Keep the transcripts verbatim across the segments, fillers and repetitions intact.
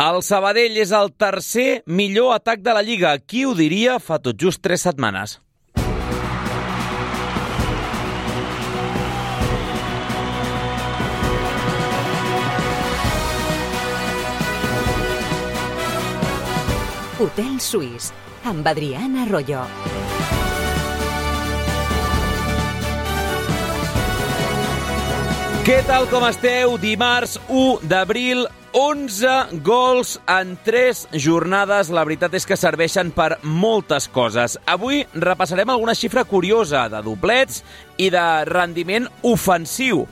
El Sabadell és el tercer millor atac de la Lliga. Qui ho diria fa tot just tres setmanes? Hotel Suís, amb Adriana Arroyo. Què tal, com esteu? Dimarts u d'abril, onze gols en tres jornades. La veritat és que serveixen per moltes coses. Avui repassarem alguna xifra curiosa de doblets i de rendiment ofensiu.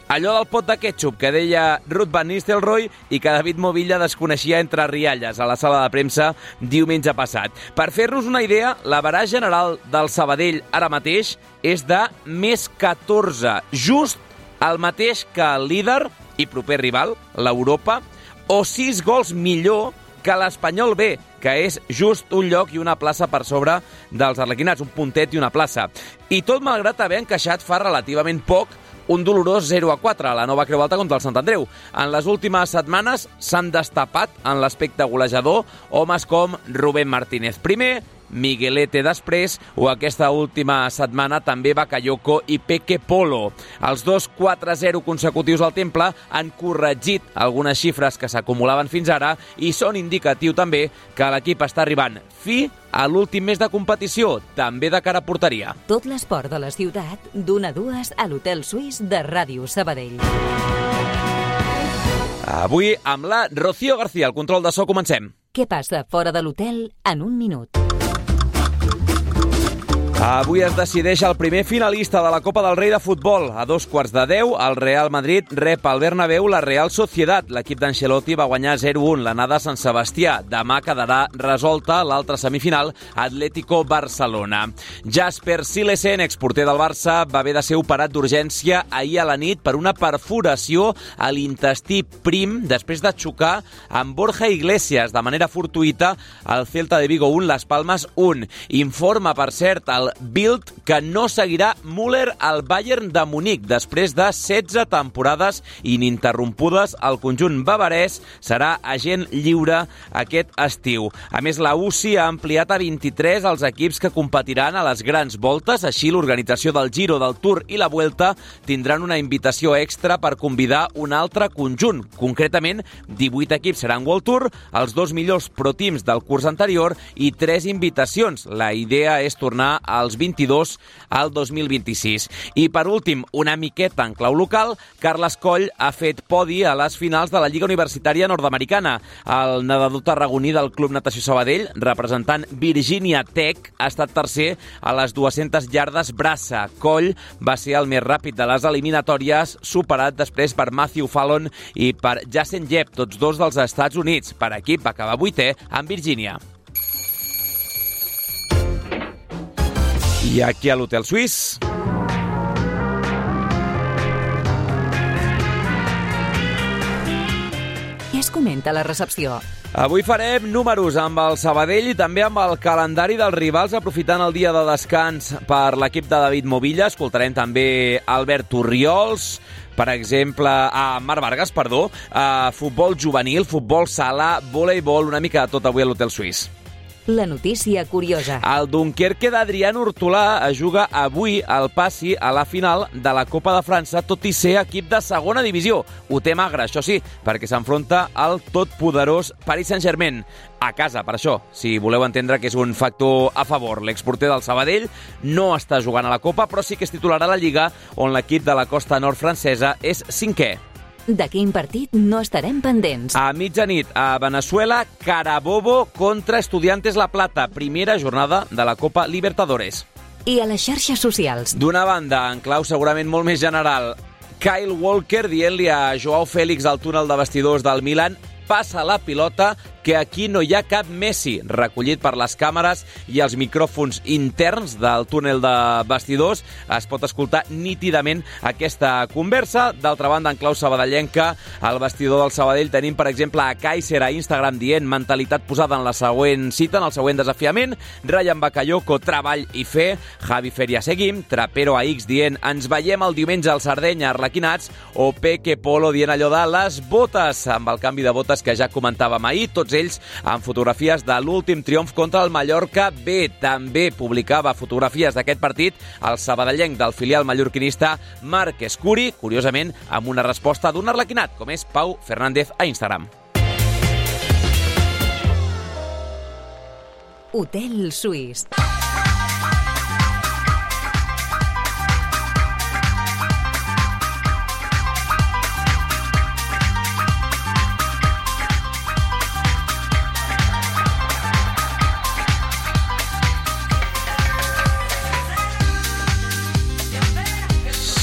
Allò del pot de ketchup que deia Ruud van Nistelrooy i que David Movilla desconeixia entre rialles a la sala de premsa diumenge passat. Per fer-nos una idea, l'average general del Sabadell ara mateix és de més catorze, just el mateix que el líder i proper rival, l'Europa, o sis gols millor que l'Espanyol B, que és just un lloc i una plaça per sobre dels arlequinats, un puntet i una plaça. I tot malgrat haver encaixat fa relativament poc un dolorós zero a quatre a la nova Creu Alta contra el Sant Andreu. En les últimes setmanes s'han destapat en l'aspecte golejador homes com Rubén Martínez primer, Miguelete després, o aquesta última setmana també Bakayoko i Peque Polo. Els dos quatre zero consecutius al Temple han corregit algunes xifres que s'acumulaven fins ara i són indicatiu també que l'equip està arribant fi a l'últim mes de competició, també de cara a porteria. Tot l'esport de la ciutat, d'una a dues a l'Hotel Suís de Ràdio Sabadell. Avui amb la Rocío García, al control de so, comencem. Què passa fora de l'hotel en un minut? Avui es decideix el primer finalista de la Copa del Rei de futbol. A dos quarts de deu, el Real Madrid rep al Bernabéu la Real Sociedad. L'equip d'Ancelotti va guanyar zero a un l'anada a Sant Sebastià. Demà quedarà resolta l'altra semifinal, Atlético Barcelona. Jasper Cillesen, exporter del Barça, va haver de ser operat d'urgència ahir a la nit per una perforació a l'intestí prim després de xocar amb Borja Iglesias de manera fortuïta al Celta de Vigo un, Las Palmas un. Informa, per cert, el Bild que no seguirà Müller al Bayern de Munic. Després de setze temporades ininterrompudes, el conjunt bavarès serà agent lliure aquest estiu. A més, la U C I ha ampliat a vint-i-tres els equips que competiran a les grans voltes. Així, l'organització del Giro, del Tour i la Vuelta tindran una invitació extra per convidar un altre conjunt. Concretament, divuit equips seran World Tour, els dos millors pro teams del curs anterior i tres invitacions. La idea és tornar a als vint-i-dos al dos mil vint-i-sis. I per últim, una miqueta en clau local, Carles Coll ha fet podi a les finals de la Lliga Universitària Nord-Americana. El nedador tarragoní del Club Natació Sabadell, representant Virginia Tech, ha estat tercer a les dues-centes iardes braça. Coll va ser el més ràpid de les eliminatòries, superat després per Matthew Fallon i per Jason Jeb, tots dos dels Estats Units. Per equip va acabar vuitè amb Virgínia. I aquí a l'Hotel Suís Què es comenta a la recepció? Avui farem números amb el Sabadell i també amb el calendari dels rivals, aprofitant el dia de descans per l'equip de David Movilla. Escoltarem també Albert Orriols, per exemple, a Marc Vargas, perdó, a futbol juvenil, futbol sala, voleibol, una mica de tot avui a l'Hotel Suís. La notícia curiosa. El Dunkerque d'Adrián Hortolà es juga avui al passi a la final de la Copa de França, tot i ser equip de segona divisió. Ho té magre, això sí, perquè s'enfronta al totpoderós Paris Saint-Germain. A casa, per això, si voleu entendre que és un factor a favor. L'exporter del Sabadell no està jugant a la Copa, però sí que es titularà a la Lliga, on l'equip de la costa nord francesa és cinquè. De quin partit no estarem pendents? A mitjanit, a Venezuela, Carabobo contra Estudiantes La Plata, primera jornada de la Copa Libertadores. I a les xarxes socials? D'una banda, en clau segurament molt més general, Kyle Walker dient-li a Joao Félix al túnel de vestidors del Milan: passa la pilota, que aquí no hi ha cap Messi, recollit per les càmeres i els micròfons interns del túnel de vestidors. Es pot escoltar nítidament aquesta conversa. D'altra banda, en clau sabadellenca, al vestidor del Sabadell tenim, per exemple, a Kaiser a Instagram dient mentalitat posada en la següent cita, en el següent desafiament. Ryan Bakayoko, treball i fer. Javi Feria, seguim. Trapero a X dient ens veiem el diumenge al Sardenya, Arlequinats. O Peque Polo dient allò de les botes, amb el canvi de botes que ja comentàvem ahir, tots ells amb fotografies de l'últim triomf contra el Mallorca B. També publicava fotografies d'aquest partit el sabadellenc del filial mallorquinista Marc Escuri, curiosament amb una resposta d'un arlequinat, com és Pau Fernández a Instagram. Hotel Suís.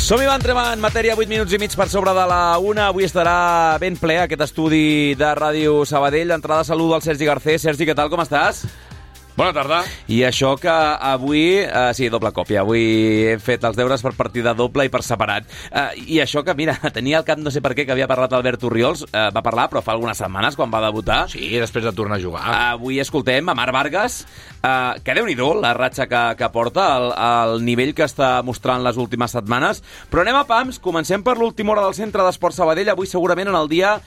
Som-hi, va, entrem en matèria, vuit minuts i mig per sobre de la una. Avui estarà ben ple aquest estudi de Ràdio Sabadell. D'entrada, saludo al Sergi Garcés. Sergi, què tal, com estàs? Bona tarda. I això que avui... Eh, sí, doble còpia. Avui he fet els deures per partida doble i per separat. Eh, I això que, mira, tenia al cap no sé per què que havia parlat Albert Orriols. Eh, va parlar, però fa algunes setmanes, quan va debutar. Sí, després de tornar a jugar. Avui escoltem a Marc Vargas, eh, que déu-n'hi-do la ratxa que, que porta, el, el nivell que està mostrant les últimes setmanes. Però anem a pams. Comencem per l'última hora del Centre d'Esports Sabadell. Avui segurament en el dia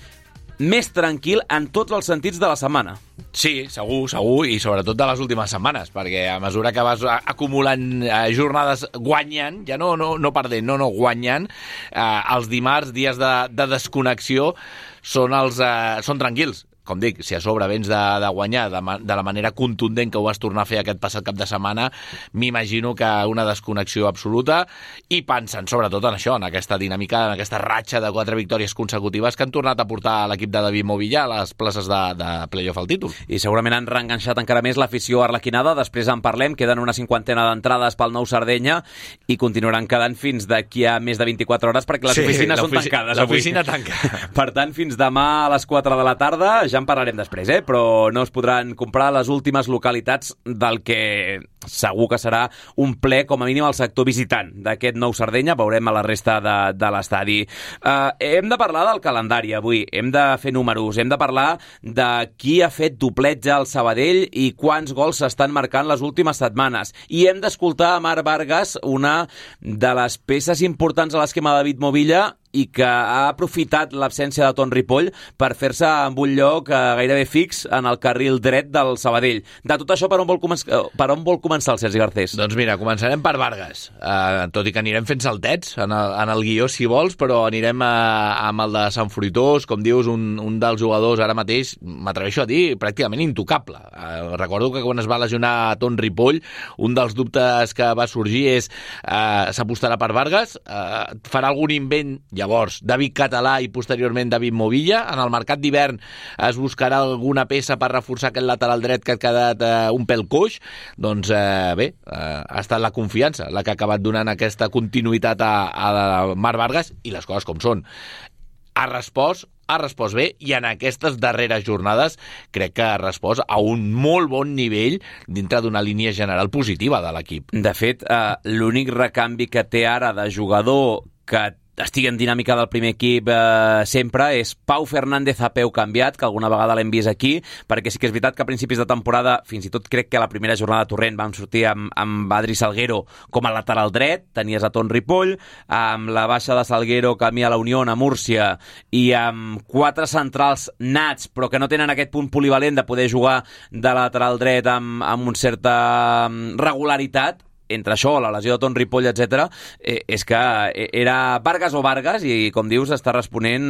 més tranquil en tots els sentits de la setmana. Sí, segur, segur, i sobretot de les últimes setmanes, perquè a mesura que vas acumulant eh, jornades guanyant, ja no, no, no perdent, no, no, guanyant, eh, els dimarts, dies de, de desconnexió, són, els, eh, són tranquils. Com dic, si a sobre vens de, de guanyar de, de la manera contundent que ho vas tornar a fer aquest passat cap de setmana, m'imagino que una desconnexió absoluta, i pensant sobretot en això, en aquesta dinàmica, en aquesta ratxa de quatre victòries consecutives que han tornat a portar l'equip de David Movilla a les places de, de play-off al títol. I segurament han reenganxat encara més l'afició arlequinada. Després en parlem, queden una cinquantena d'entrades pel nou Sardenya i continuaran quedant fins d'aquí a més de vint-i-quatre hores perquè les sí, oficines són tancades avui. L'oficina tanca. Per tant, fins demà a les quatre de la tarda, ja en parlarem després, eh? Però no es podran comprar les últimes localitats del que segur que serà un ple, com a mínim al sector visitant d'aquest nou Sardenya. Veurem a la resta de, de l'estadi. Uh, hem de parlar del calendari avui, hem de fer números, hem de parlar de qui ha fet dobletge al Sabadell i quants gols s'estan marcant les últimes setmanes. I hem d'escoltar a Marc Vargas, una de les peces importants a l'esquema de David Movilla, i que ha aprofitat l'absència de Ton Ripoll per fer-se amb un lloc eh, gairebé fix en el carril dret del Sabadell. De tot això, per on vol, començar, per on vol començar el Sergi Garcés? Doncs mira, començarem per Vargas, uh, tot i que anirem fent saltets en el, en el guió, si vols, però anirem a, amb el de Sant Fruitós, com dius, un, un dels jugadors ara mateix, m'atreveixo a dir, pràcticament intocable. Uh, recordo que quan es va lesionar Ton Ripoll, un dels dubtes que va sorgir és uh, s'apostarà per Vargas, uh, farà algun invent. Llavors, David Català i posteriorment David Movilla. En el mercat d'hivern es buscarà alguna peça per reforçar aquest lateral dret que ha quedat eh, un pèl coix. Doncs eh, bé, eh, ha estat la confiança la que ha acabat donant aquesta continuïtat a, a Marc Vargas, i les coses com són. Ha respost, ha respost bé, i en aquestes darreres jornades crec que ha respost a un molt bon nivell dintre d'una línia general positiva de l'equip. De fet, eh, l'únic recanvi que té ara de jugador que estigui en dinàmica del primer equip eh, sempre és Pau Fernández a peu canviat, que alguna vegada l'hem vist aquí, perquè sí que és veritat que a principis de temporada, fins i tot crec que a la primera jornada de Torrent vam sortir amb, amb Adri Salguero com a lateral dret, tenies a Ton Ripoll, amb la baixa de Salguero camí a la Unió, a Múrcia, i amb quatre centrals nats, però que no tenen aquest punt polivalent de poder jugar de lateral dret amb, amb una certa regularitat. Entre això, la lesió de Ton Ripoll, etcètera, eh, és que era Vargas o Vargas, i com dius, està responent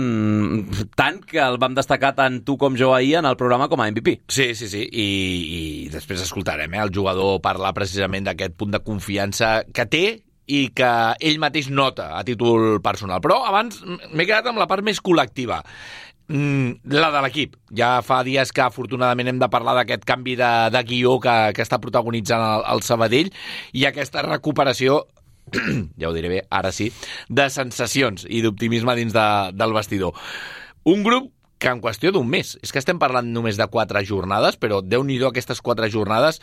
tant que el vam destacar tant tu com jo ahir en el programa com a M V P. Sí, sí, sí, i, i després escoltarem eh, el jugador parlar precisament d'aquest punt de confiança que té i que ell mateix nota a títol personal. Però abans m'he quedat amb la part més col·lectiva. La de l'equip. Ja fa dies que afortunadament hem de parlar d'aquest canvi de, de guió que, que està protagonitzant el, el Sabadell, i aquesta recuperació, ja ho diré bé, ara sí, de sensacions i d'optimisme dins de, del vestidor. Un grup que en qüestió d'un mes, és que estem parlant només de quatre jornades, però Déu-n'hi-do aquestes quatre jornades,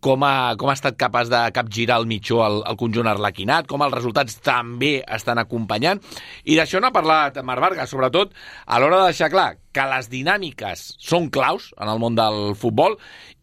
com ha, com ha estat capaç de capgirar el mitjó al, al conjunt arlequinat, com els resultats també estan acompanyant, i d'això n'ha parlat Marc Vargas, sobretot a l'hora de deixar clar que les dinàmiques són claus en el món del futbol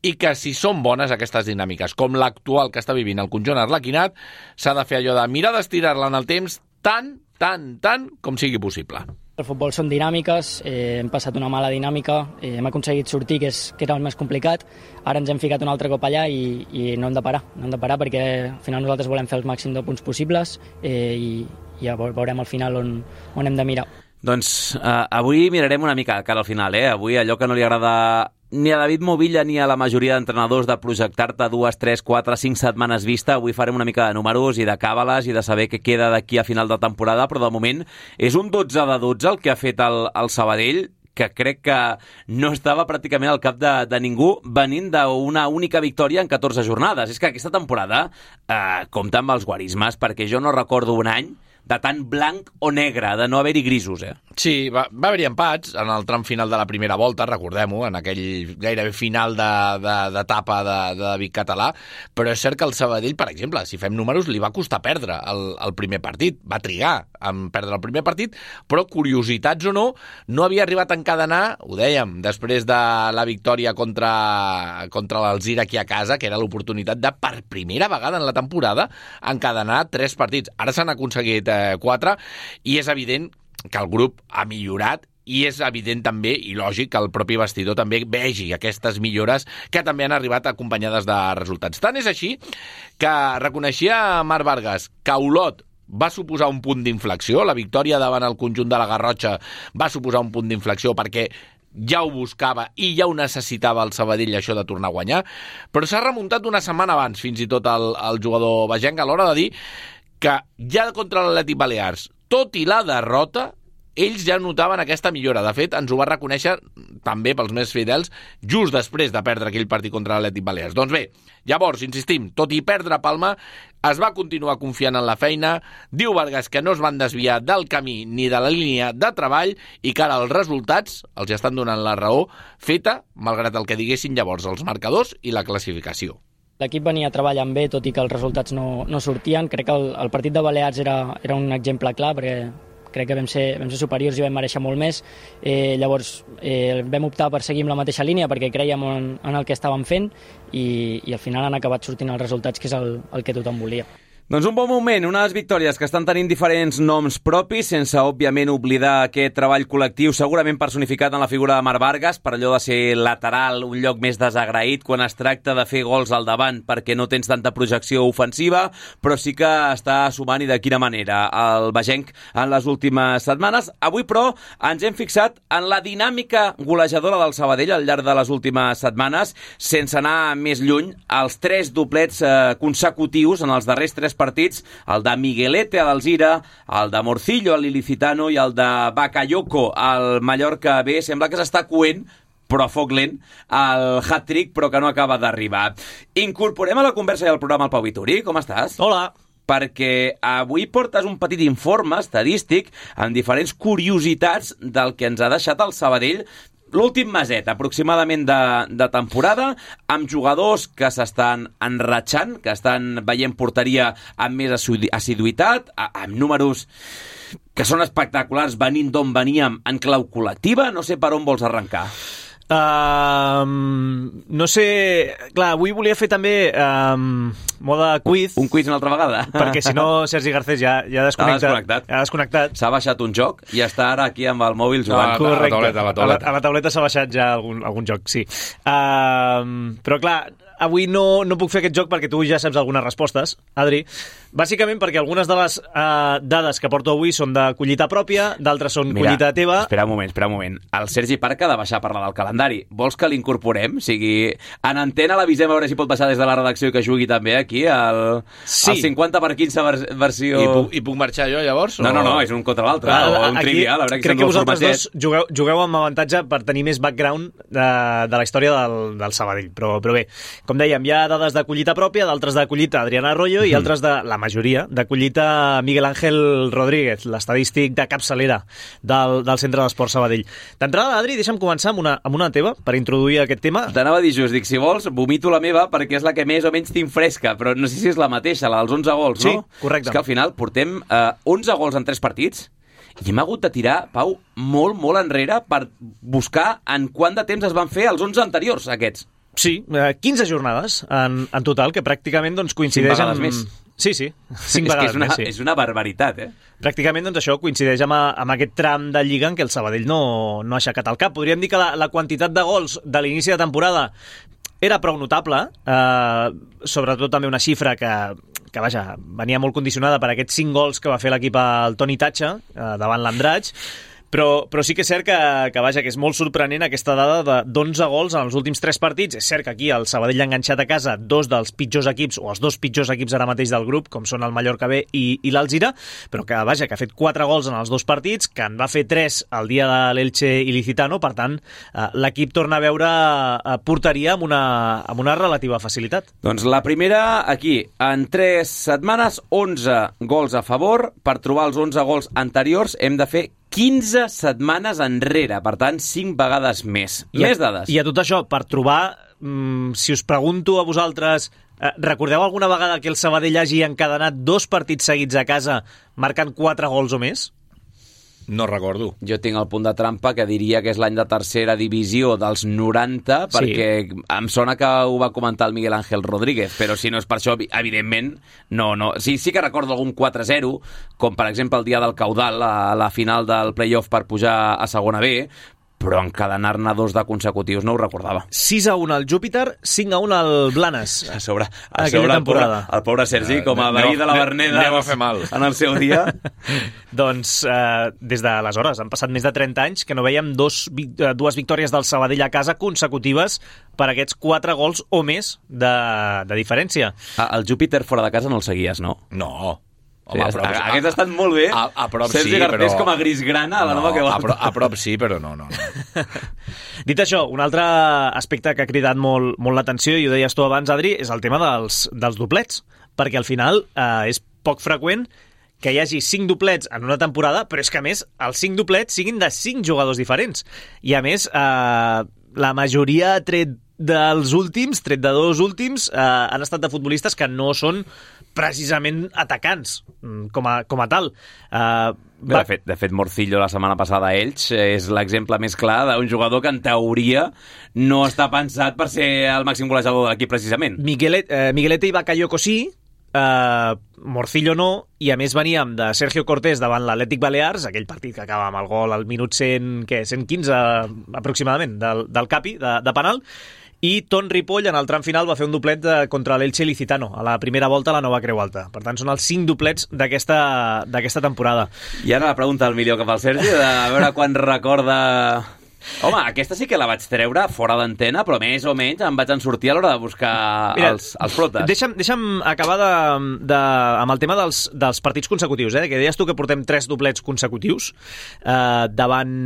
i que si són bones aquestes dinàmiques, com l'actual que està vivint el conjunt arlequinat, s'ha de fer allò de mirar d'estirar-la en el temps tant, tant, tant com sigui possible. El futbol són dinàmiques, eh, hem passat una mala dinàmica, eh, hem aconseguit sortir, que, és, que era el més complicat, ara ens hem ficat un altre cop allà i, i no hem de parar, no hem de parar perquè al final nosaltres volem fer el màxim de punts possibles eh, i, i ja veurem al final on, on hem de mirar. Doncs uh, avui mirarem una mica cara al final, eh? Avui allò que no li agrada ni a David Movilla ni a la majoria d'entrenadors de projectar-te dues, tres, quatre, cinc setmanes vista. Avui farem una mica de números i de càbales i de saber què queda d'aquí a final de temporada, però de moment és un dotze de dotze el que ha fet el, el Sabadell, que crec que no estava pràcticament al cap de, de ningú, venint d'una única victòria en catorze jornades. És que aquesta temporada eh, compta amb els guarismes, perquè jo no recordo un any de tant blanc o negre, de no haver-hi grisos, eh? Sí, va, va haver-hi empats en el tram final de la primera volta, recordem-ho, en aquell gairebé final d'etapa de, de, de, de David Català, però és cert que el Sabadell, per exemple, si fem números, li va costar perdre el, el primer partit, va trigar en perdre el primer partit, però curiositats o no, no havia arribat a encadenar, ho dèiem, després de la victòria contra, contra l'Alzira aquí a casa, que era l'oportunitat de, per primera vegada en la temporada, encadenar tres partits. Ara s'han aconseguit eh, quatre, i és evident que el grup ha millorat i és evident també, i lògic, que el propi vestidor també vegi aquestes millores que també han arribat acompanyades de resultats. Tant és així que reconeixia Marc Vargas que Olot va suposar un punt d'inflexió, la victòria davant el conjunt de la Garrotxa va suposar un punt d'inflexió perquè ja ho buscava i ja ho necessitava el Sabadell, això de tornar a guanyar, però s'ha remuntat una setmana abans, fins i tot el, el jugador bagenc, a l'hora de dir que ja contra l'Atlètic Balears, tot i la derrota, ells ja notaven aquesta millora. De fet, ens ho va reconèixer també pels més fidels just després de perdre aquell partit contra l'Atlètic Balears. Doncs bé, llavors, insistim, tot i perdre Palma, es va continuar confiant en la feina. Diu Vargas que no es van desviar del camí ni de la línia de treball i que ara els resultats els estan donant la raó feta, malgrat el que diguessin llavors els marcadors i la classificació. L'equip venia treballant bé, tot i que els resultats no, no sortien. Crec que el, el partit de Balears era, era un exemple clar, perquè crec que vam ser, vam ser superiors i vam mereixer molt més. Eh, llavors eh, vam optar per seguir amb la mateixa línia perquè creiem en, en el que estàvem fent i, i al final han acabat sortint els resultats, que és el, el que tothom volia. Doncs un bon moment, unes victòries que estan tenint diferents noms propis, sense, òbviament, oblidar aquest treball col·lectiu, segurament personificat en la figura de Marc Vargas, per allò de ser lateral, un lloc més desagraït quan es tracta de fer gols al davant perquè no tens tanta projecció ofensiva, però sí que està sumant, i de quina manera, el bagenc en les últimes setmanes. Avui, però, ens hem fixat en la dinàmica golejadora del Sabadell al llarg de les últimes setmanes, sense anar més lluny, els tres doblets eh, consecutius en els darrers tres partits, el de Miguelete a l'Alzira, el de Morcillo al Ilicitano i el de Bakayoko al Mallorca B. Sembla que s'està coent, però a foc lent, el hat-trick, però que no acaba d'arribar. Incorporem a la conversa i al programa el Pau Vituri. Com estàs? Hola. Perquè avui portes un petit informe estadístic amb diferents curiositats del que ens ha deixat el Sabadell l'últim meset, aproximadament, de, de temporada, amb jugadors que s'estan enratxant, que estan veient porteria amb més assiduïtat, amb números que són espectaculars, venint d'on veníem en clau col·lectiva. No sé per on vols arrencar. Uh, no sé... Clar, avui volia fer també um, moda quiz. Un quiz una altra vegada. Perquè si no, Sergi Garcés ja, ja ha desconnectat. Ha desconnectat. S'ha baixat un joc i està ara aquí amb el mòbil jugant. No, correcte. A la tauleta, a la tauleta. A la, a la tauleta s'ha baixat ja algun, algun joc, sí. Uh, però clar, avui no, no puc fer aquest joc perquè tu ja saps algunes respostes, Adri. Bàsicament perquè algunes de les uh, dades que porto avui són de collita pròpia, d'altres són Mira, collita teva. Espera un moment, espera un moment. El Sergi Parca ha de baixar a parlar del calendari. Vols que l'incorporem? O sigui, en antena l'avisem a veure si pot baixar des de la redacció i que jugui també aquí al, sí. al cinquanta per quinze vers, versió... I puc, I puc marxar jo, llavors? No, no, no, és un contra l'altre, o un aquí, trivial. Que crec que vosaltres dos jugueu, jugueu amb avantatge per tenir més background de, de la història del, del Sabadell, però, però bé. Com dèiem, hi ha dades de collita pròpia, d'altres de collita Adriana Arroyo i altres de, la majoria, de collita Miguel Ángel Rodríguez, l'estadístic de capçalera del, del Centre d'Esport Sabadell. D'entrada, Adri, deixa'm començar amb una, amb una teva per introduir aquest tema. T'anava a dir just, dic, si vols, vomito la meva perquè és la que més o menys tinc fresca, però no sé si és la mateixa, la dels onze gols, no? Sí, correcte. És que al final portem eh, onze gols en tres partits i hem hagut de tirar, Pau, molt, molt enrere per buscar en quant de temps es van fer els onze anteriors, aquests. Sí, quinze jornades en, en total, que pràcticament doncs, coincideix amb... més. Sí, sí, cinc és vegades és una, més, sí. És una barbaritat, eh? Pràcticament doncs, això coincideix amb, amb aquest tram de Lliga en què el Sabadell no, no ha aixecat el cap. Podríem dir que la, la quantitat de gols de l'inici de temporada era prou notable, eh, sobretot també una xifra que, que vaja, venia molt condicionada per aquests cinc gols que va fer l'equip al Toni Tatxa eh, davant l'Andratx, però, però sí que és cert que, que, vaja, que és molt sorprenent aquesta dada d'onze gols en els últims tres partits. És cert que aquí el Sabadell ha enganxat a casa dos dels pitjors equips, o els dos pitjors equips ara mateix del grup, com són el Mallorca B i, i l'Alzira, però que, vaja, que ha fet quatre gols en els dos partits, que en va fer tres el dia de l'Elche Ilicitano, per tant, eh, l'equip torna a veure eh, porteria amb una, amb una relativa facilitat. Doncs la primera, aquí, en tres setmanes, onze gols a favor. Per trobar els onze gols anteriors hem de fer quinze setmanes enrere, per tant, cinc vegades més. I Més a, dades. I a tot això, per trobar, mm, si us pregunto a vosaltres, eh, recordeu alguna vegada que el Sabadell hagi encadenat dos partits seguits a casa marcant quatre gols o més? No recordo. Jo tinc el punt de trampa que diria que és l'any de tercera divisió dels noranta, Sí. perquè em sona que ho va comentar el Miguel Ángel Rodríguez, però si no és per això, evidentment, no, no. Sí, sí que recordo algun quatre zero, com per exemple el dia del Caudal, a la final del playoff per pujar a segona B, però encadenar-ne dos de consecutius no ho recordava. sis a un al Júpiter, cinc a un al Blanes. A sobre, a Aquella sobre el, pobre, temporada. el pobre Sergi, com a veí de la Verneda, anem a fer mal. en el seu dia. Doncs eh, des d'aleshores han passat més de trenta anys que no veiem dos, dues victòries del Sabadell a casa consecutives per aquests quatre gols o més de, de diferència. Ah, el Júpiter fora de casa no el seguies, no? No. Sí, Home, a prop, aquests estan molt bé. A, a prop Sergi sí, Gartés però... com a gris grana a la no, nova que a, va. pro, a prop sí, però no, no. no. Dit això, un altre aspecte que ha cridat molt, molt l'atenció, i ho deies tu abans, Adri, és el tema dels, dels doblets, perquè al final eh, és poc freqüent que hi hagi cinc doblets en una temporada, però és que, a més, els cinc doblets siguin de cinc jugadors diferents. I, a més, eh, la majoria, tret dels últims, tret de dos últims, eh, han estat de futbolistes que no són precisament atacants, com a, com a tal. Uh, Bé, de, fet, de fet, Morcillo la setmana passada a Elx és l'exemple més clar d'un jugador que en teoria no està pensat per ser el màxim golejador de l'equip precisament. Miguelet, eh, Miguelete i Bakayoko sí, eh, Morcillo no, i a més veníem de Sergio Cortés davant l'Atlètic Balears, aquell partit que acaba amb el gol al minut cent, què, cent quinze aproximadament del, del Capi, de, de penal, i Ton Ripoll en el tram final va fer un doblet de, contra l'Elche Ilicitano a la primera volta a la Nova Creu Alta. Per tant, són els cinc doblets d'aquesta temporada. I ara la pregunta del milió cap al Sergi, de a veure quan recorda... Home, aquesta sí que la vaig treure fora d'antena, però més o menys em vaig en sortir a l'hora de buscar Mira, els, els flotes. Deixa'm, deixa'm acabar de, de, amb el tema dels, dels partits consecutius, eh? Que deies tu que portem tres doblets consecutius eh, davant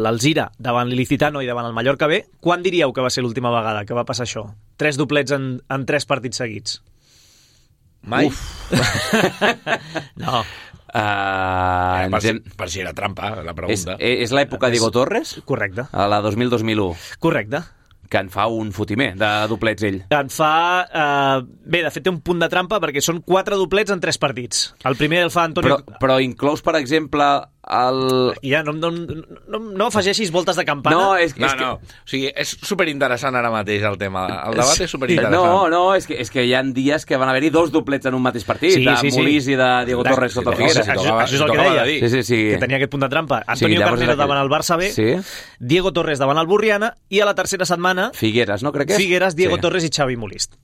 l'Alzira, davant l'Ilicitano i davant el Mallorca B. Quan diríeu que va ser l'última vegada que va passar això? Tres doblets en, en tres partits seguits. Mai. No. Uh, eh, per, hem... si, per si era trampa, la pregunta. És, és l'època Diego Torres? Correcte. A la dos mil dos mil u. Correcte. Que en fa un fotimer de doblets ell. En fa... Eh, bé, de fet té un punt de trampa perquè són quatre doblets en tres partits. El primer el fa Antonio... Però, però inclous, per exemple, el... Ja, no, no, no, no afegeixis voltes de campana. No, és, No, és que... no. O sigui, és superinteressant ara mateix el tema. El debat és superinteressant. No, no, és que, és que hi ha dies que van haver-hi dos doblets en un mateix partit, Sí, de sí, sí. Molís i de Diego Clar, Torres sota sí, Figueres. això, això, això és el que deia, dir. Sí, sí, sí. que tenia aquest punt de trampa. Sí, Antonio llavors Carnero és aquell- davant el Barça B, Sí. Diego Torres davant el Burriana, i a la tercera setmana, Figueres, no crec que és? Figueres, Diego Sí. Torres i Xavi Molist.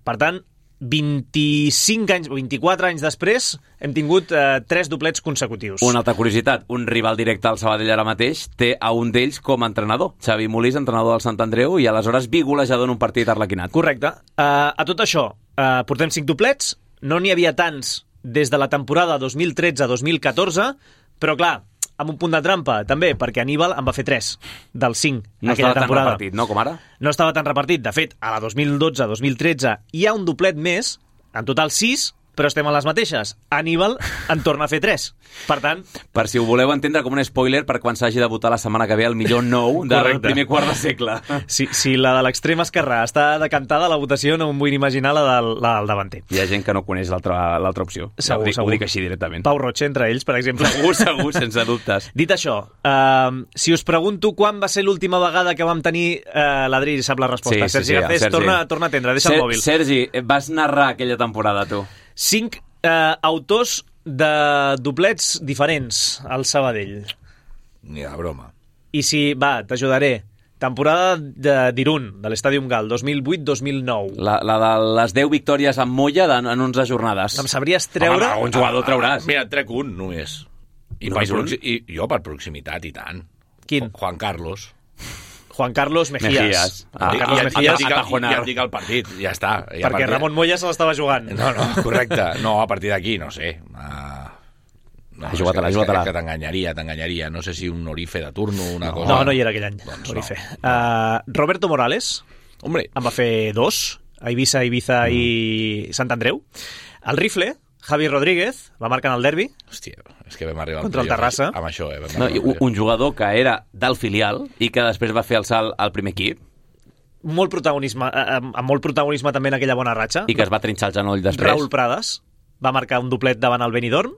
Per tant, vint-i-cinc anys, vint-i-quatre anys després, hem tingut eh, tres doblets consecutius. Una altra curiositat, un rival directe al Sabadell ara mateix té a un d'ells com a entrenador. Xavi Molís, entrenador del Sant Andreu, i aleshores bigolejador en un partit arlequinat. Correcte. Uh, a tot això, uh, portem cinc doblets, no n'hi havia tants des de la temporada dos mil tretze dos mil catorze, però clar, amb un punt de trampa, també, perquè Aníbal en va fer tres dels cinc no aquella estava temporada. tan repartit, no, com ara? No estava tan repartit. De fet, a la dos mil dotze dos mil tretze hi ha un doblet més, en total sis, però estem a les mateixes. Aníbal en torna a fer tres. Per tant... Per si ho voleu entendre com un spoiler per quan s'hagi de votar la setmana que ve el millor nou del Correcte. primer quart de segle. Si, si la de l'extrem esquerrà està decantada, la votació no em vull imaginar la del, la del davanter. Hi ha gent que no coneix l'altra l'altra opció. Segur, ho, dic, segur. ho dic així directament. Pau Roig, entre ells, per exemple. Segur, segur, sense dubtes. Dit això, uh, si us pregunto quan va ser l'última vegada que vam tenir... Uh, L'Adri sap la resposta. Sí, sí, Sergi sí, Garcés, Sergi. torna, torna a atendre, deixa Ser, el mòbil. Sergi, vas narrar aquella temporada, tu. Cinc uh, autors de doblets diferents al Sabadell. Ni de broma. I si, va, t'ajudaré. Temporada de- d'Irun, de l'Estàdium Gal, dos mil vuit dos mil nou. La, la de les deu victòries amb Molla en, en onze jornades. Em sabries treure... Home, un jugador trauràs. Mira, trec un, només. I, Només per un? proxi- I jo per proximitat, i tant. Quin? Juan Carlos. Juan Carlos Mejías. Mejías. Juan Ah, Carlos I, i, Mejías, ja, et dic, el- Atajonar. ja et dic el partit, ja està. Ja perquè Ramon Moya se l'estava jugant. No, no, correcte. No, a partir d'aquí, no sé. Uh, no, Ha jugat-la, és que, ha jugat-la. és que t'enganyaria, t'enganyaria. No sé si un Orife de turno, una cosa... No, no hi era aquell any. Doncs Orife. no. Uh, Roberto Morales Hombre, en va fer dos, a Eivissa, Ibiza mm. i Sant Andreu. El rifle, Javi Rodríguez, va marcar en el derbi. hòstia, és que vam arribar al Contra el playoff Terrassa. Amb això, eh? Vam No, arribar i al un, playoff. un jugador que era del filial i que després va fer el salt al primer equip Molt protagonisme, eh, amb amb molt protagonisme també en aquella bona ratxa. i que es va trinxar el genoll després. Raúl Prades va marcar un doblet davant el Benidorm.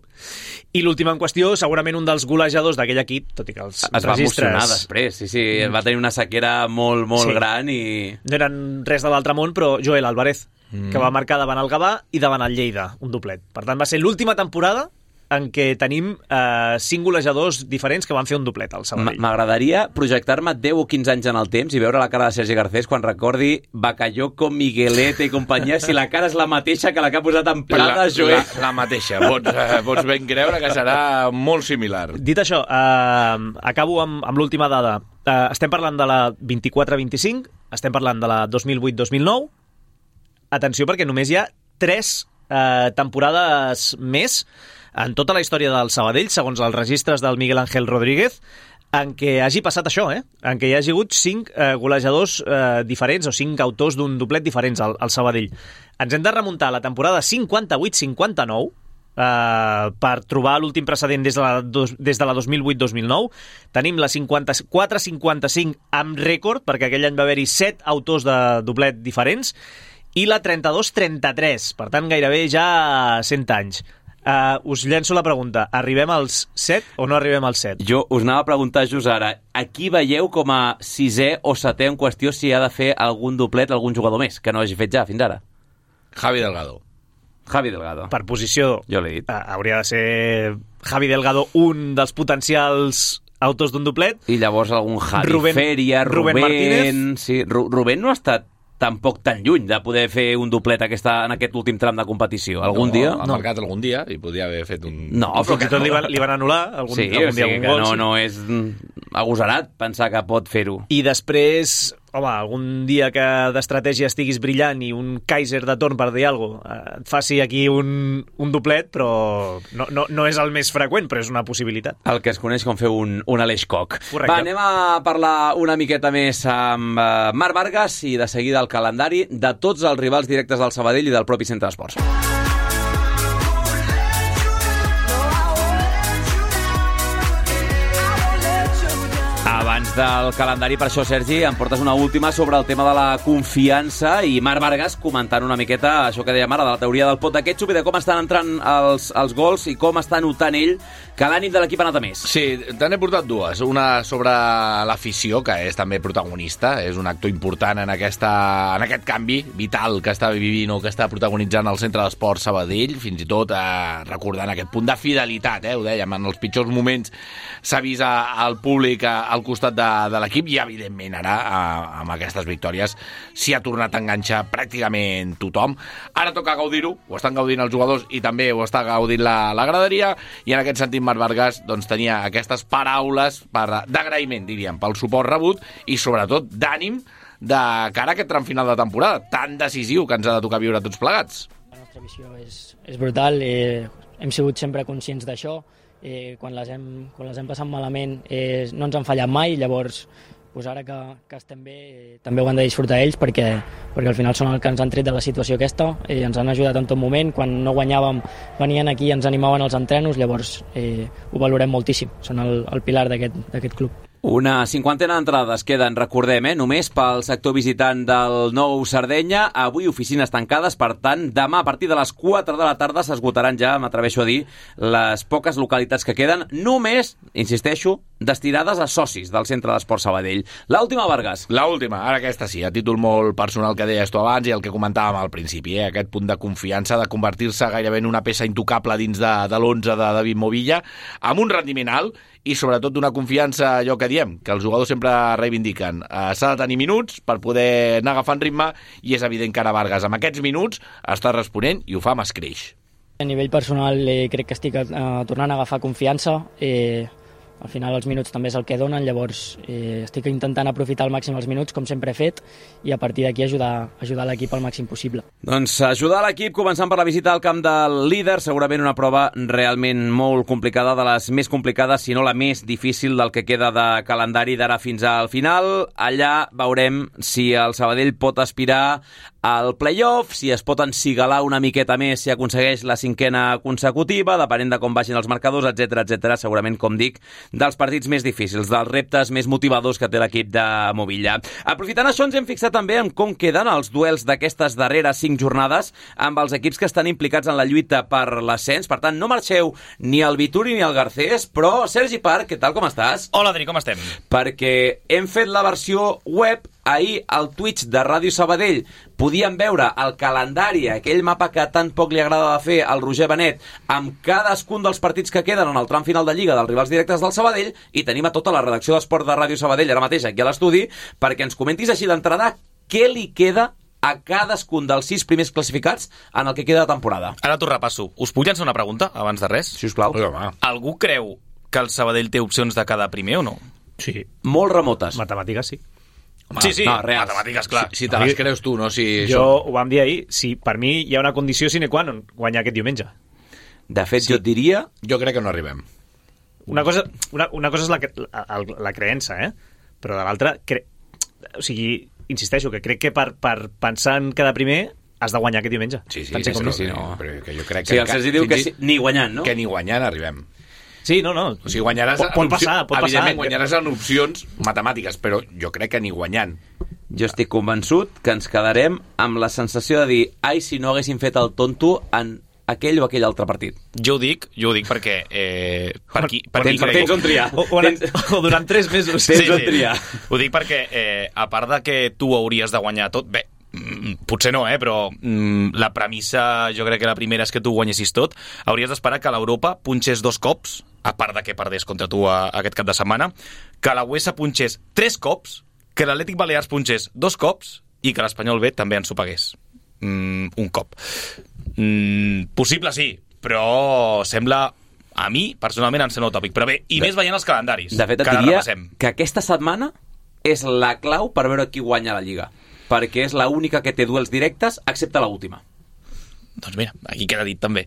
I l'últim en qüestió, segurament un dels golejadors d'aquell equip, tot i que els Es va registres emocionar després, sí, sí, va tenir una sequera molt, molt Sí. gran i... no eren res de l'altre món, però Joel Álvarez, mm. que va marcar davant el Gavà i davant el Lleida, un doblet. Per tant, va ser l'última temporada en què tenim eh, cinc golejadors diferents que van fer un doblet al M- Sabadell. M'agradaria projectar-me deu o quinze anys en el temps i veure la cara de Sergi Garcés quan recordi Bacalló, Miguelete i companyia, si la cara és la mateixa que la que ha posat en Prada, la, Joel. la, la mateixa. Pots, eh, pots ben creure que serà molt similar. Dit això, eh, acabo amb, amb l'última dada. Eh, estem parlant de la vint-i-quatre vint-i-cinc, estem parlant de la dos mil vuit dos mil nou. Atenció, perquè només hi ha tres eh, temporades més en tota la història del Sabadell, segons els registres del Miguel Ángel Rodríguez, en què hagi passat això, eh? En què hi hagi hagut cinc eh, golejadors eh, diferents o cinc autors d'un doblet diferents al, al Sabadell. Ens hem de remuntar a la temporada cinquanta-vuit cinquanta-nou eh, per trobar l'últim precedent des de la, dos, des de la dos mil vuit dos mil nou. Tenim la cinquanta-quatre cinquanta-cinc amb rècord, perquè aquell any va haver-hi set autors de doblet diferents, i la trenta-dos trenta-tres, per tant gairebé ja cent anys. Uh, us llenço la pregunta. Arribem als set o no arribem als set? Jo us anava a preguntar just ara, aquí veieu com a sisè o setè en qüestió si ha de fer algun doblet, algun jugador més, que no hagi fet ja fins ara? Javi Delgado. Javi Delgado. Per posició, Jo l'he dit. uh, hauria de ser Javi Delgado un dels potencials autors d'un doblet. I llavors algun Javi Rubén- Feria, Rubén Rubén... Martínez. Sí, Ru Rubén no ha estat tampoc tan lluny de poder fer un doblet aquesta, en aquest últim tram de competició. Algun no, dia? Ha marcat algun dia i podia haver fet un... No, Fins però i que tot no. li van, li van anul·lar algun, Sí, algun o dia sigui algun que gol. no, sí. no és mm, agosarat pensar que pot fer-ho. I després, home, algun dia que d'estratègia estiguis brillant i un Kaiser de torn, per dir alguna cosa, eh, et faci aquí un, un doblet, però no, no, no és el més freqüent, però és una possibilitat. El que es coneix com fer un, un Aleix Coc. Correcte. Va, anem a parlar una miqueta més amb uh, Marc Vargas i de seguida el calendari de tots els rivals directes del Sabadell i del propi centre d'esports. Abans del calendari, per això, Sergi, em portes una última sobre el tema de la confiança i Marc Vargas comentant una miqueta això que dèiem ara, de la teoria del pot de ketchup i de com estan entrant els, els gols i com està notant ell que l'ànim de l'equip ha anat a més. Sí, te n'he portat dues. Una sobre l'afició, que és també protagonista, és un actor important en, aquesta, en aquest canvi vital que està vivint o que està protagonitzant el Centre d'Esport Sabadell, fins i tot eh, recordant aquest punt de fidelitat, eh, ho dèiem, en els pitjors moments s'ha vist al públic a, al costat de, de l'equip i, evidentment, ara, a, amb aquestes victòries, s'hi ha tornat a enganxar pràcticament tothom. Ara toca gaudir-ho, ho estan gaudint els jugadors i també ho està gaudint la, la graderia, i en aquest sentit Marc Vargas doncs, tenia aquestes paraules per, d'agraïment, diríem, pel suport rebut i, sobretot, d'ànim de cara a aquest tram final de temporada, tan decisiu que ens ha de tocar viure tots plegats. La nostra visió és, és brutal, eh, hem sigut sempre conscients d'això eh, quan, les hem, quan les hem passat malament eh, no ens han fallat mai, llavors pues ara que, que estem bé eh, també ho han de disfrutar ells perquè, perquè al final són els que ens han tret de la situació aquesta, eh, ens han ajudat en tot moment, quan no guanyàvem venien aquí i ens animaven als entrenos, llavors eh, ho valorem moltíssim, són el, el pilar d'aquest club. Una cinquantena d'entrades queden, recordem, eh, només pel sector visitant del Nou Sardenya. Avui oficines tancades, per tant, demà a partir de les quatre de la tarda s'esgotaran ja, m'atreveixo a dir, les poques localitats que queden, només, insisteixo, destinades a socis del Centre d'Esport Sabadell. L'última, Vargas. L'última, ara aquesta sí, a títol molt personal que deies tu abans i el que comentàvem al principi, eh, aquest punt de confiança, de convertir-se gairebé en una peça intocable dins de, de l'onze de David Movilla, amb un rendiment alt i sobretot d'una confiança, allò que diem, que els jugadors sempre reivindiquen. Uh, s'ha de tenir minuts per poder anar agafant ritme i és evident que ara Vargas amb aquests minuts està responent i ho fa amb escreix. A nivell personal eh, crec que estic eh, tornant a agafar confiança, eh, al final els minuts també és el que donen, llavors eh, estic intentant aprofitar al màxim els minuts, com sempre he fet, i a partir d'aquí ajudar, ajudar l'equip al màxim possible. Doncs ajudar l'equip, començant per la visita al camp del líder, segurament una prova realment molt complicada, de les més complicades, si no la més difícil del que queda de calendari d'ara fins al final. Allà veurem si el Sabadell pot aspirar al play-off, si es pot encigalar una miqueta més si aconsegueix la cinquena consecutiva, depenent de com vagin els marcadors, etcètera, etcètera. Segurament, com dic, dels partits més difícils, dels reptes més motivadors que té l'equip de Movilla. Aprofitant això, ens hem fixat també en com queden els duels d'aquestes darreres cinc jornades amb els equips que estan implicats en la lluita per l'ascens. Per tant, no marxeu ni el Vituri ni el Garcés, però Sergi Parc, què tal, com estàs? Hola, Adri, com estem? Perquè hem fet la versió web. Ahir al Twitch de Ràdio Sabadell podíem veure el calendari, aquell mapa que tan poc li agrada de fer al Roger Benet, amb cadascun dels partits que queden en el tram final de Lliga dels rivals directes del Sabadell, i tenim a tota la redacció d'Esport de Ràdio Sabadell ara mateix aquí a l'estudi, perquè ens comentis així d'entrada què li queda a cadascun dels sis primers classificats en el que queda de temporada. Ara t'ho repasso. Us puc llançar una pregunta abans de res? Si us plau. Algú creu que el Sabadell té opcions de quedar primer o no? Sí. Molt remotes. Matemàtiques, sí. Home, sí, sí, no, reals. matemàtiques, clar. Si, si te les creus tu, no? Si jo som... ho vam dir ahir, si per mi hi ha una condició sine qua non guanyar aquest diumenge. De fet, sí. jo et diria... Jo crec que no arribem. Una cosa, una, una cosa és la, la, la creença, eh? Però de l'altra, cre... o sigui, insisteixo, que crec que per, per pensar en quedar primer has de guanyar aquest diumenge. Sí, sí, Pensem sí, com sí, no. no. Però que jo crec Sí, que... el Sergi diu que sí, ni guanyant, no? Que ni guanyant arribem. Sí, no, no. O sigui, guanyaràs... Pot, pot passar, pot passar. Evidentment, guanyaràs en opcions matemàtiques, però jo crec que ni guanyant. Jo estic convençut que ens quedarem amb la sensació de dir ai, si no haguéssim fet el tonto en aquell o aquell altre partit. Jo ho dic, jo ho dic perquè... Eh, per qui, per tens, qui tens on triar. O, o, tens... o durant tres mesos. Tens sí, on sí. triar. Ho dic perquè, eh, a part de que tu hauries de guanyar tot... Bé, potser no, eh, però mm, la premissa, jo crec que la primera és que tu guanyessis tot. Hauries d'esperar que l'Europa punxés dos cops, a part de que perdés contra tu a, a aquest cap de setmana, que la U E S A punxés tres cops, que l'Atlètic Balears punxés dos cops i que l'Espanyol B també ens ho pagués. Mm, un cop. Mm, possible sí, però sembla... A mi, personalment, em sembla utòpic. Però bé, i de, més veient els calendaris. De fet, et que diria repassem. Que aquesta setmana és la clau per veure qui guanya la Lliga. Perquè és l'única que té duels directes, excepte l'última. Doncs mira, aquí queda dit també.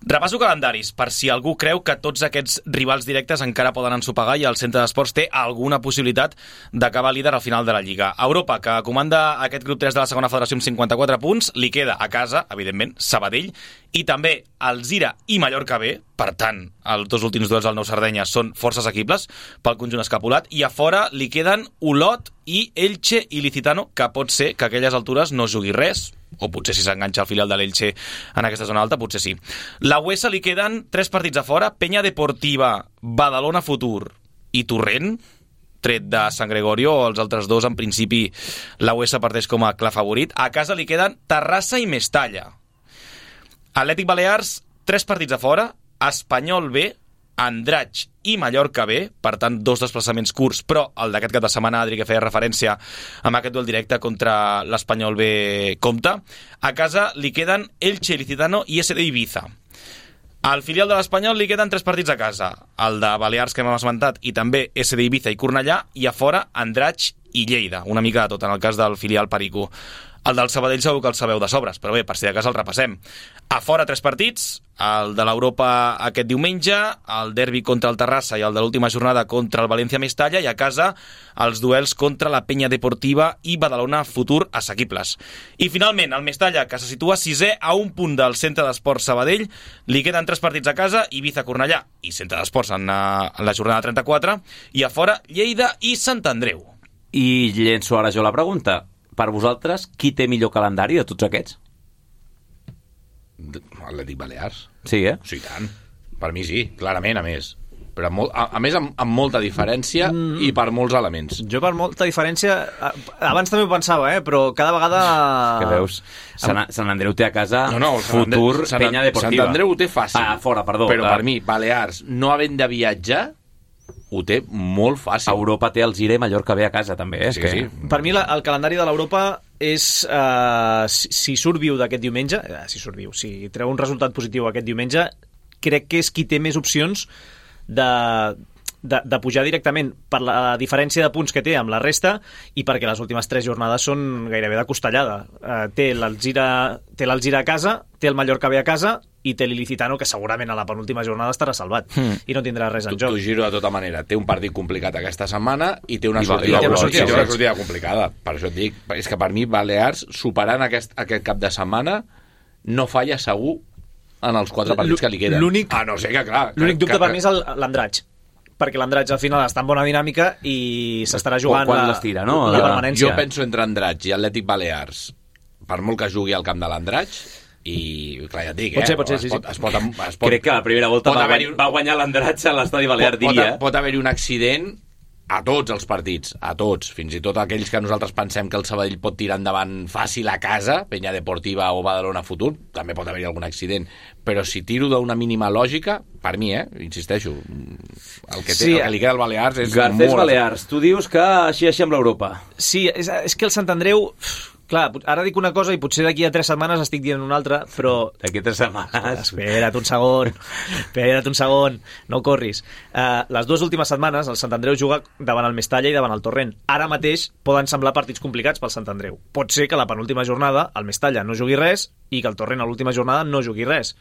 Repasso calendaris, per si algú creu que tots aquests rivals directes encara poden ensopegar i el Centre d'Esports té alguna possibilitat d'acabar líder al final de la Lliga. Europa, que comanda aquest grup tres de la segona federació amb cinquanta-quatre punts, li queda a casa, evidentment, Sabadell, i també Alzira i Mallorca B, per tant, els dos últims duels del Nou Sardenya són força assequibles pel conjunt escapulat, i a fora li queden Olot i Elche i Licitano, que pot ser que a aquelles altures no jugui res, o potser si s'enganxa el filial de l'Elche en aquesta zona alta, potser sí. La U E S A li queden tres partits a fora, Penya Deportiva, Badalona Futur i Torrent, tret de Sant Gregorio, els altres dos, en principi, la U E S A parteix com a clar favorit. A casa li queden Terrassa i Mestalla. Atlètic Balears, tres partits a fora, Espanyol B, Andratx i Mallorca B, per tant, dos desplaçaments curts, però el d'aquest cap de setmana, Adri, que feia referència amb aquest duel directe contra l'Espanyol B compta. A casa li queden Elche, Licitano i S D Ibiza. Al filial de l'Espanyol li queden tres partits a casa, el de Balears, que hem esmentat, i també S D Ibiza i Cornellà, i a fora Andratx i Lleida, una mica de tot en el cas del filial Perico. El del Sabadell segur que el sabeu de sobres, però bé, per si de cas el repassem. A fora tres partits, el de l'Europa aquest diumenge, el derbi contra el Terrassa i el de l'última jornada contra el València Mestalla, i a casa els duels contra la Penya Deportiva i Badalona Futur assequibles. I finalment, el Mestalla, que se situa sisè a un punt del Centre d'Esports Sabadell, li queden tres partits a casa, Ibiza-Cornellà i Centre d'Esports en, en la jornada trenta-quatre, i a fora Lleida i Sant Andreu. I llenço ara jo la pregunta. Per vosaltres, qui té millor calendari de tots aquests? Atlètic Balears. Sí, eh? Sí, tant. Per mi sí, clarament, a més. Però molt, a, a més, amb, amb molta diferència mm. i per molts elements. Jo per molta diferència... Abans també ho pensava, eh? Però cada vegada... Que veus? Sant, Sant Andreu té a casa no, no, Futur Sant, Penya Deportiva. Sant Andreu ho té fàcil. Ah, fora, perdó. Però ah. per mi, Balears, no havent de viatjar, ho té molt fàcil. Europa té el Gire i Mallorca ve a casa, també. Eh? Sí, que... sí. Per mi la, el calendari de l'Europa és, uh, si, si surt viu d'aquest diumenge, uh, si surt viu, si treu un resultat positiu aquest diumenge, crec que és qui té més opcions de, de, de pujar directament per la diferència de punts que té amb la resta i perquè les últimes tres jornades són gairebé de costellada. Uh, té l'Alzira té l'Alzira a casa, té el Mallorca bé a casa i té l'Ilicitano, que segurament a la penúltima jornada estarà salvat mm. i no tindrà res en joc. T'ho giro de tota manera. Té un partit complicat aquesta setmana i té una I sortida, té una sortida, una sortida complicada. Per això et dic, és que per mi Balears, superant aquest, aquest cap de setmana, no falla segur en els quatre partits que li queden. L'únic, ah, no sé que clar. L'únic dubte que, per mi és l'Andratx, perquè l'Andratx al final està en bona dinàmica i s'estarà jugant quan la, l'estira, no? la permanència. Jo penso entre Andratx i Atlètic Balears, per molt que jugui al camp de l'Andratx, i clar, ja et dic, pot eh? ser, pot ser, es sí, pot, sí. es pot, es pot, Crec que la primera volta va, haver-hi... va guanyar l'Andratx a l'estadi Balear, pot, diria. Pot, pot haver-hi un accident a tots els partits, a tots, fins i tot aquells que nosaltres pensem que el Sabadell pot tirar endavant fàcil a casa, Penya Deportiva o Badalona Futur, també pot haver-hi algun accident, però si tiro d'una mínima lògica, per mi, eh, insisteixo, el que, té, sí, el que li queda al Balears és Garcés molt... Balears, tu dius que així així amb l'Europa. Sí, és, és que el Sant Andreu... Clar, ara dic una cosa i potser d'aquí a tres setmanes estic dient una altra, però... D'aquí a tres setmanes... Espera't un segon, espera't un segon, no corris. Uh, les dues últimes setmanes el Sant Andreu juga davant el Mestalla i davant el Torrent. Ara mateix poden semblar partits complicats pel Sant Andreu. Pot ser que la penúltima jornada el Mestalla no jugui res i que el Torrent a l'última jornada no jugui res.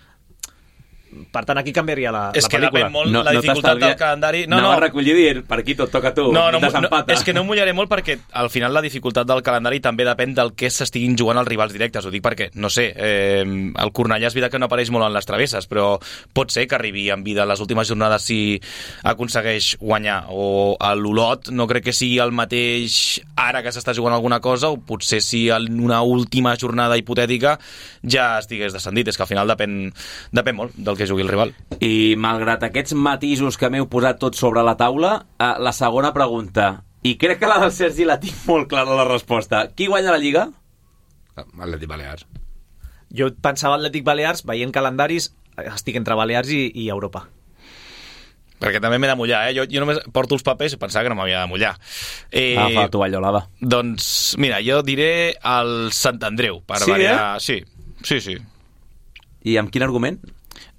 Per tant, aquí canviaria la, és la pel·lícula. És que depèn molt no, la dificultat no del calendari. No, no, a recollir dient, per aquí tot toca tu. No, no, no, és que no mullaré molt perquè al final la dificultat del calendari també depèn del que s'estiguin jugant els rivals directes. Ho dic perquè, no sé, eh, el Cornellà és veritat que no apareix molt en les travesses, però pot ser que arribi en vida les últimes jornades si aconsegueix guanyar. O l'Olot no crec que sigui el mateix ara que s'està jugant alguna cosa, o potser si en una última jornada hipotètica ja estigués descendit. És que al final depèn, depèn molt del que jugui el rival. I malgrat aquests matisos que m'heu posat tots sobre la taula, eh, la segona pregunta, i crec que la del Sergi la tinc molt clara la resposta. Qui guanya la Lliga? Atlètic Balears. Jo pensava Atlètic Balears, veient calendaris, estic entre Balears i, i Europa. Perquè també m'he de mullar, eh? Jo, jo només porto els papers i pensava que no m'havia de mullar. Eh, Ah, fa la tovallola, va. Doncs, mira, jo diré el Sant Andreu, per Sí, variar... Sí, sí, sí. I amb quin argument?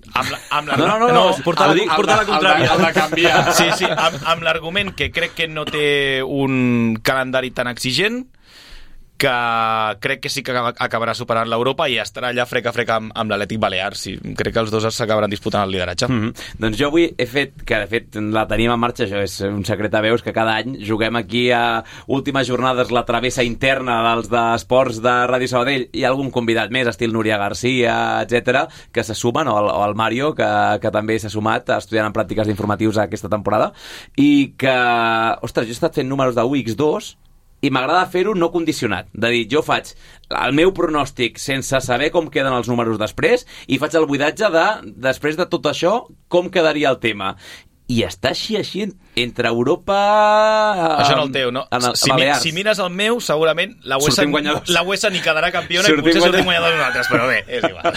Amb la, amb la, No, no, no, no, portar la, portar la contrària. El de canviar. Sí, sí, amb, amb l'argument que crec que no té un calendari tan exigent, que crec que sí que acabarà superant l'Europa i estarà allà frec a frec amb, amb l'Atlètic Balears. Sí, crec que els dos s'acabaran disputant el lideratge. Mm-hmm. Doncs jo avui he fet, que de fet la tenim en marxa, això és un secret a veus, que cada any juguem aquí a últimes jornades la travessa interna dels d'esports de Ràdio Sabadell. Hi ha algun convidat més, estil Núria Garcia, etcètera, que se sumen, o el, o el Mario, que, que també s'ha sumat estudiant en pràctiques d'informatius aquesta temporada, i que, ostres, jo he estat fent números de U X dos i m'agrada fer-ho no condicionat, de dir, jo faig el meu pronòstic sense saber com queden els números després i faig el buidatge de, després de tot això, com quedaria el tema. I està així, així, entre Europa... Això en el teu, no? En el, si, mi, si mires el meu, segurament la U E S A ni quedarà campiona sortim i potser sortim guanyadors nosaltres, però bé, és igual.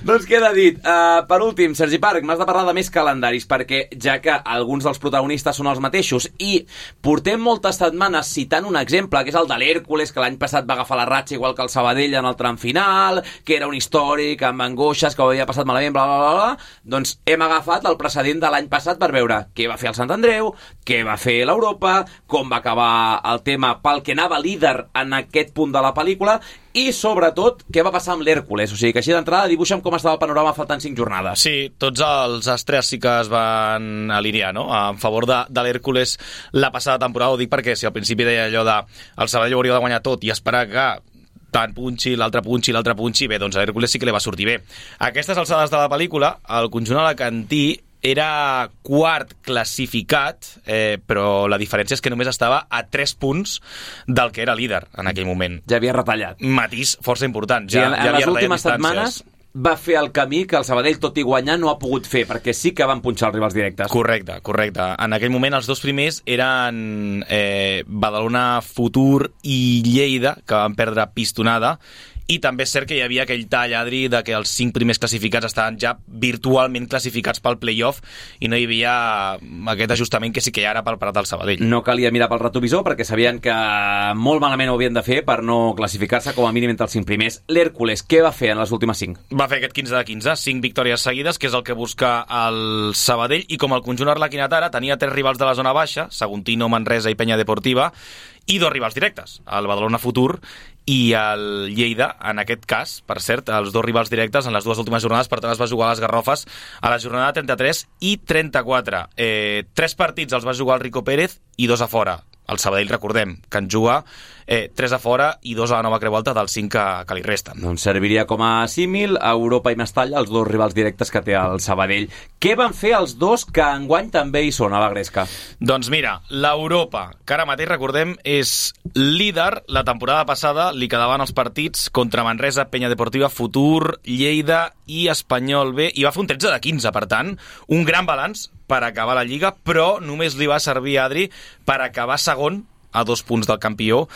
Doncs queda dit. Uh, per últim, Sergi Parc, m'has de parlar de més calendaris, perquè ja que alguns dels protagonistes són els mateixos i portem moltes setmanes citant un exemple, que és el de l'Hèrcules, que l'any passat va agafar la ratxa igual que el Sabadell en el tram final, que era un històric amb angoixes, que ho havia passat malament, bla, bla, bla, bla. Doncs hem agafat el precedent de l'any passat per veure què va fer el Sant Andreu, què va fer l'Europa, com va acabar el tema pel que anava líder en aquest punt de la pel·lícula i, sobretot, què va passar amb l'Hèrcules. O sigui que així d'entrada dibuixa'm com estava el panorama faltant cinc jornades. Sí, tots els astres sí que es van alinear, no?, en favor de, de l'Hèrcules la passada temporada. Ho dic perquè si al principi deia allò de el Sabadell hauria de guanyar tot i esperar que tant punxi, l'altre punxi, l'altre punxi, bé, doncs a l'Hèrcules sí que li va sortir bé. A aquestes alçades de la pel·lícula, el conjunt alacantí era quart classificat, eh, però la diferència és que només estava a tres punts del que era líder en aquell moment. Ja havia retallat. Matís força important. Ja, sí, en, ja en havia les últimes setmanes va fer el camí que el Sabadell, tot i guanyar, no ha pogut fer, perquè sí que van punxar els rivals directes. Correcte, correcte. En aquell moment els dos primers eren eh, Badalona Futur i Lleida, que van perdre pistonada, i també és cert que hi havia aquell tall, Adri, de que els cinc primers classificats estaven ja virtualment classificats pel play-off i no hi havia aquest ajustament que sí que hi ha ara pel parat del Sabadell. No calia mirar pel retrovisor perquè sabien que molt malament ho havien de fer per no classificar-se com a mínim entre els cinc primers. L'Hèrcules, què va fer en les últimes cinc? Va fer aquest quinze de quinze, cinc victòries seguides, que és el que busca el Sabadell, i com el conjunt arlequinat ara tenia tres rivals de la zona baixa, Saguntino, Manresa i Penya Deportiva, i dos rivals directes, el Badalona Futur i el Lleida, en aquest cas, per cert, els dos rivals directes en les dues últimes jornades, per tant es va jugar a les Garrofes a la jornada trenta-tres i trenta-quatre. Eh, tres partits els va jugar el Rico Pérez i dos a fora. El Sabadell, recordem, que en juga eh, tres a fora i dos a la Nova Creu Alta dels cinc que, que li resten. Doncs serviria com a símil a Europa i Mestalla, els dos rivals directes que té el Sabadell. Què van fer els dos que enguany també hi són a la Gresca? Doncs mira, l'Europa, que ara mateix, recordem, és líder. La temporada passada li quedaven els partits contra Manresa, Penya Deportiva, Futur, Lleida i Espanyol B, i va fer un tretze de quinze, per tant, un gran balanç per acabar la Lliga, però només li va servir, Adri, per acabar segon a dos punts del campió,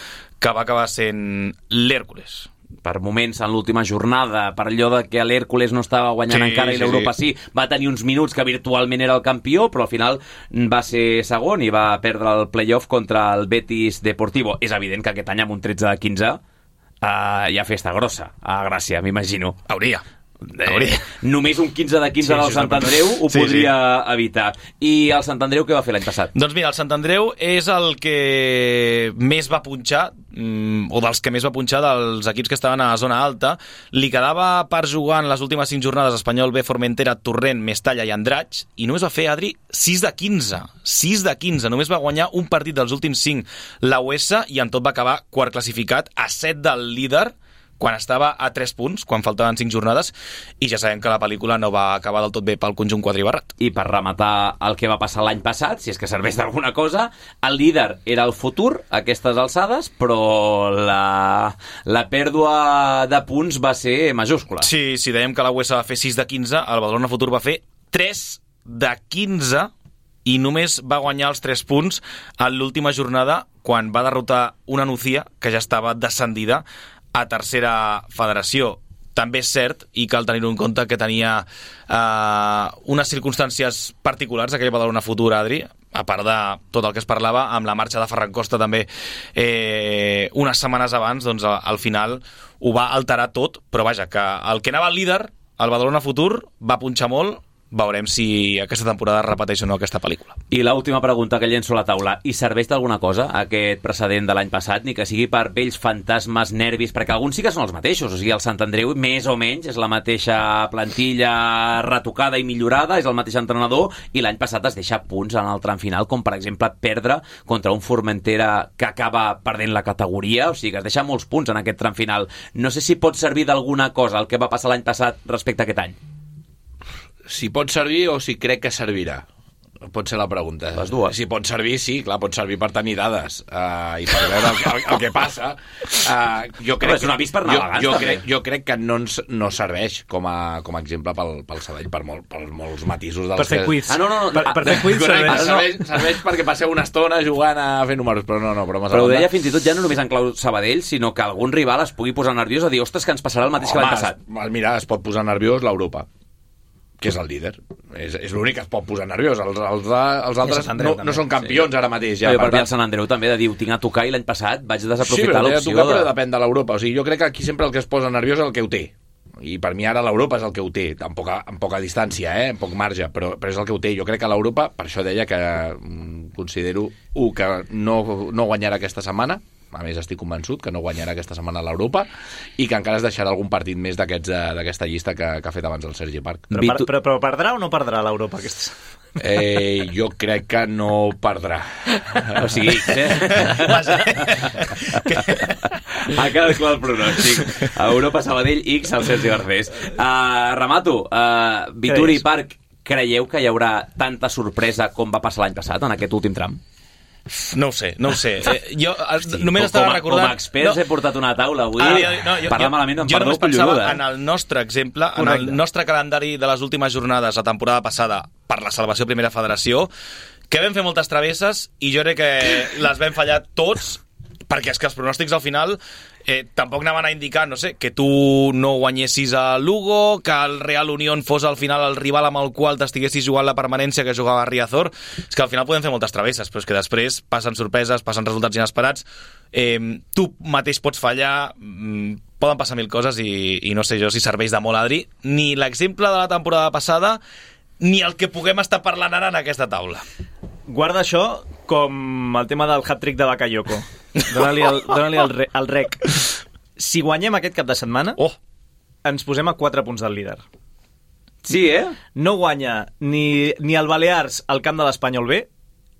que va acabar sent l'Hèrcules. Per moments en l'última jornada, per allò de que l'Hèrcules no estava guanyant sí, encara i sí, l'Europa sí. sí, va tenir uns minuts que virtualment era el campió, però al final va ser segon i va perdre el play-off contra el Betis Deportivo. És evident que aquest any amb un tretze de quinze uh, hi ha festa grossa a Gràcia, m'imagino. Hauria. Eh, només un quinze de quinze sí, del sí, Sant Andreu ho sí, podria sí. evitar. I el Sant Andreu què va fer l'any passat? Doncs mira, el Sant Andreu és el que més va punxar, mm, o dels que més va punxar dels equips que estaven a la zona alta. Li quedava per jugar en les últimes cinc jornades Espanyol B, Formentera, Torrent, Mestalla i Andratx, i només va fer, Adri, sis de quinze. sis de quinze. Només va guanyar un partit dels últims cinc la U S i en tot va acabar quart classificat, a set del líder, quan estava a tres punts, quan faltaven cinc jornades, i ja sabem que la pel·lícula no va acabar del tot bé pel conjunt quadribarrat. I per rematar el que va passar l'any passat, si és que serveix d'alguna cosa, el líder era el Futur, a aquestes alçades, però la, la pèrdua de punts va ser majúscula. Sí, si dèiem que la U S va fer sis de quinze, el Badalona Futur va fer tres de quinze, i només va guanyar els tres punts en l'última jornada, quan va derrotar una Nucía, que ja estava descendida, a tercera federació. També és cert, i cal tenir-ho en compte, que tenia eh, unes circumstàncies particulars aquell Badalona Futur, Adri, a part de tot el que es parlava amb la marxa de Ferran Costa també eh, unes setmanes abans, doncs al final ho va alterar tot, però vaja, que el que anava al líder, el Badalona Futur, va punxar molt. Veurem si aquesta temporada repeteix o no aquesta pel·lícula. I l'última pregunta que llenço a la taula. I serveix d'alguna cosa aquest precedent de l'any passat, ni que sigui per vells fantasmes, nervis, perquè alguns sí que són els mateixos. O sigui, el Sant Andreu, més o menys, és la mateixa plantilla retocada i millorada, és el mateix entrenador, i l'any passat es deixa punts en el tram final, com per exemple perdre contra un Formentera que acaba perdent la categoria. O sigui, que es deixa molts punts en aquest tram final. No sé si pot servir d'alguna cosa el que va passar l'any passat respecte a aquest any. Si pot servir o si crec que servirà. Pot ser la pregunta. Les dues. Si pot servir, sí, clar, pot servir per tenir dades uh, i per veure el, el, el que passa. Uh, jo crec, és un avís per navegants, jo, jo, també. crec, jo crec que no, ens, no serveix com a, com a exemple pel, pel Sabadell, per, molt, per molts matisos dels per fer que... quiz. Ah, no, no, no. Per, per fer quiz Correcte, serveix. serveix, serveix perquè passeu una estona jugant a fer números, però no, no, però, però ho deia fins i tot ja no només en clau Sabadell, sinó que algun rival es pugui posar nerviós a dir, ostres, que ens passarà el mateix Home, que l'any passat. Es, mira, es pot posar nerviós l'Europa, que és el líder. És, és l'únic que es pot posar nerviós. Els, els, els altres Andreu, no, no són campions sí. ara mateix. Ja, no, per per tant... el Sant Andreu també de dir, ho tinc a tocar i l'any passat vaig desaprofitar sí, però l'opció. Tocar, de... però depèn de l'Europa. O sigui, jo crec que aquí sempre el que es posa nerviós és el que ho té. i per mi ara l'Europa és el que ho té, amb poca, amb poca distància, eh? amb poc marge, però, però és el que ho té. Jo crec que l'Europa, per això deia que mm, considero, un, que no, no guanyarà aquesta setmana, a més estic convençut que no guanyarà aquesta setmana l'Europa, i que encara es deixarà algun partit més d'aquesta llista que, que ha fet abans el Sergi Parc. Però, per, però, però perdrà o no perdrà l'Europa aquesta setmana? Eh, jo crec que no perdrà. O sigui, eh? Ha quedat clar el pronòstic. Europa, Sabadell, X, el Sergi Garcés. Uh, remato. Uh, Vituri, Parc, creieu que hi haurà tanta sorpresa com va passar l'any passat en aquest últim tram? No ho sé, no ho sé. Eh, jo Hosti, només com, estava recordant... Com a experts no. he portat una taula avui. Ah, jo, no, jo, parlar jo, malament em jo perdó pensava colluda. En el nostre exemple, Correcte. En el nostre calendari de les últimes jornades la temporada passada per la salvació Primera Federació, que vam fer moltes travesses i jo crec que les vam fallar tots, perquè és que els pronòstics al final eh, tampoc anaven a indicar, no sé, que tu no guanyessis a Lugo, que el Real Unión fos al final el rival amb el qual t'estiguessis jugant la permanència que jugava Riazor. És que al final podem fer moltes travesses, però és que després passen sorpreses, passen resultats inesperats, eh, tu mateix pots fallar, mm, poden passar mil coses i, i no sé jo si serveix de molt, Adri, ni l'exemple de la temporada passada ni el que puguem estar parlant ara en aquesta taula. Guarda això com el tema del hat-trick de Bakayoko. Dóna-li el, dóna-li el, re, el rec. Si guanyem aquest cap de setmana, oh. ens posem a quatre punts del líder. Sí, eh? No guanya ni, ni el Balears al camp de l'Espanyol B,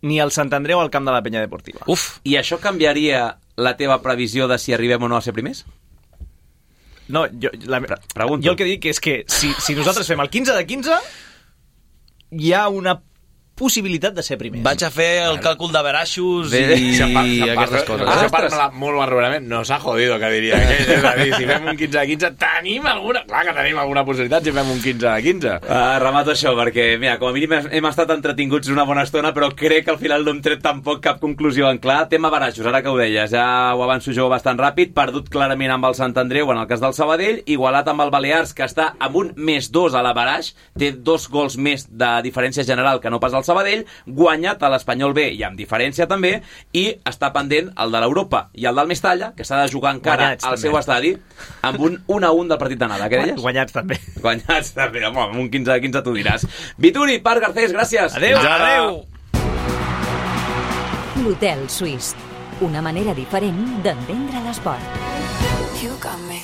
ni el Sant Andreu al camp de la Penya Deportiva. Uf, i això canviaria la teva previsió de si arribem o no a ser primers? No, jo, la, Pregunto. jo el que dic és que si, si nosaltres fem el quinze de quinze, hi ha una possibilitat de ser primers. Vaig a fer el càlcul de veraixos i, si par, si i aquestes coses. Ah, si parla molt barbarament, no s'ha jodido, que diria. Que, és a dir, si fem un quinze de quinze, tenim alguna... Clar que tenim alguna possibilitat si fem un quinze de quinze. Uh, remato això, perquè, mira, com a mínim hem estat entretinguts una bona estona, però crec que al final no hem tret tampoc cap conclusió en clar. Tema baraixos, ara que ho deies, ja ho avanço jo bastant ràpid, perdut clarament amb el Sant Andreu en el cas del Sabadell, igualat amb el Balears, que està amb un més dos a la baraix, té dos gols més de diferència general que no pas el Sabadell, guanyat a l'Espanyol B i amb diferència també, i està pendent el de l'Europa i el del Mestalla, que s'ha de jugar encara guanyats, al també. Seu estadi, amb un un a un del partit d'anada. Què deies? Guanyats també. Guanyats també, home, amb un quinze de quinze tu diràs. Vituri, Parc, Garcés, gràcies. Adéu. Adéu. L'Hotel Suís, una manera diferent d'entendre l'esport. You got me.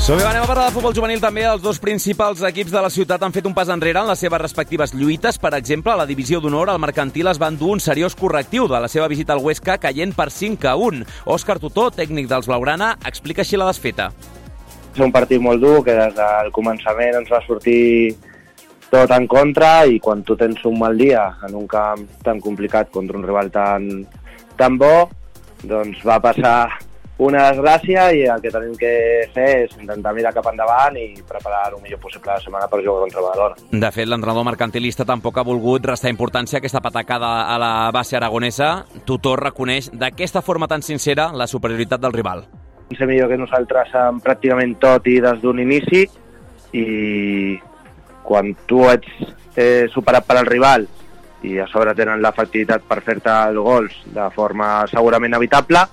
Som bé, anem a parlar de futbol juvenil també. Els dos principals equips de la ciutat han fet un pas enrere en les seves respectives lluites. Per exemple, a la divisió d'honor, el Mercantil es va endur un seriós correctiu de la seva visita al Huesca, caient per cinc a un. Òscar Tutó, tècnic dels Blaugrana, explica així la desfeta. És un partit molt dur, que des del començament ens va sortir tot en contra, i quan tu tens un mal dia en un camp tan complicat contra un rival tan, tan bo, doncs va passar una desgràcia, i el que tenim que fer és intentar mirar cap endavant i preparar el millor possible la setmana per jugar contra Badalona. De fet, l'entrenador mercantilista tampoc ha volgut restar importància a aquesta patacada a la base aragonesa. Tutó reconeix d'aquesta forma tan sincera la superioritat del rival. Ser millor que nosaltres en pràcticament tot i des d'un inici, i quan tu ets eh, superat per al rival i a sobre tenen l'efectivitat per fer-te els gols de forma segurament evitable,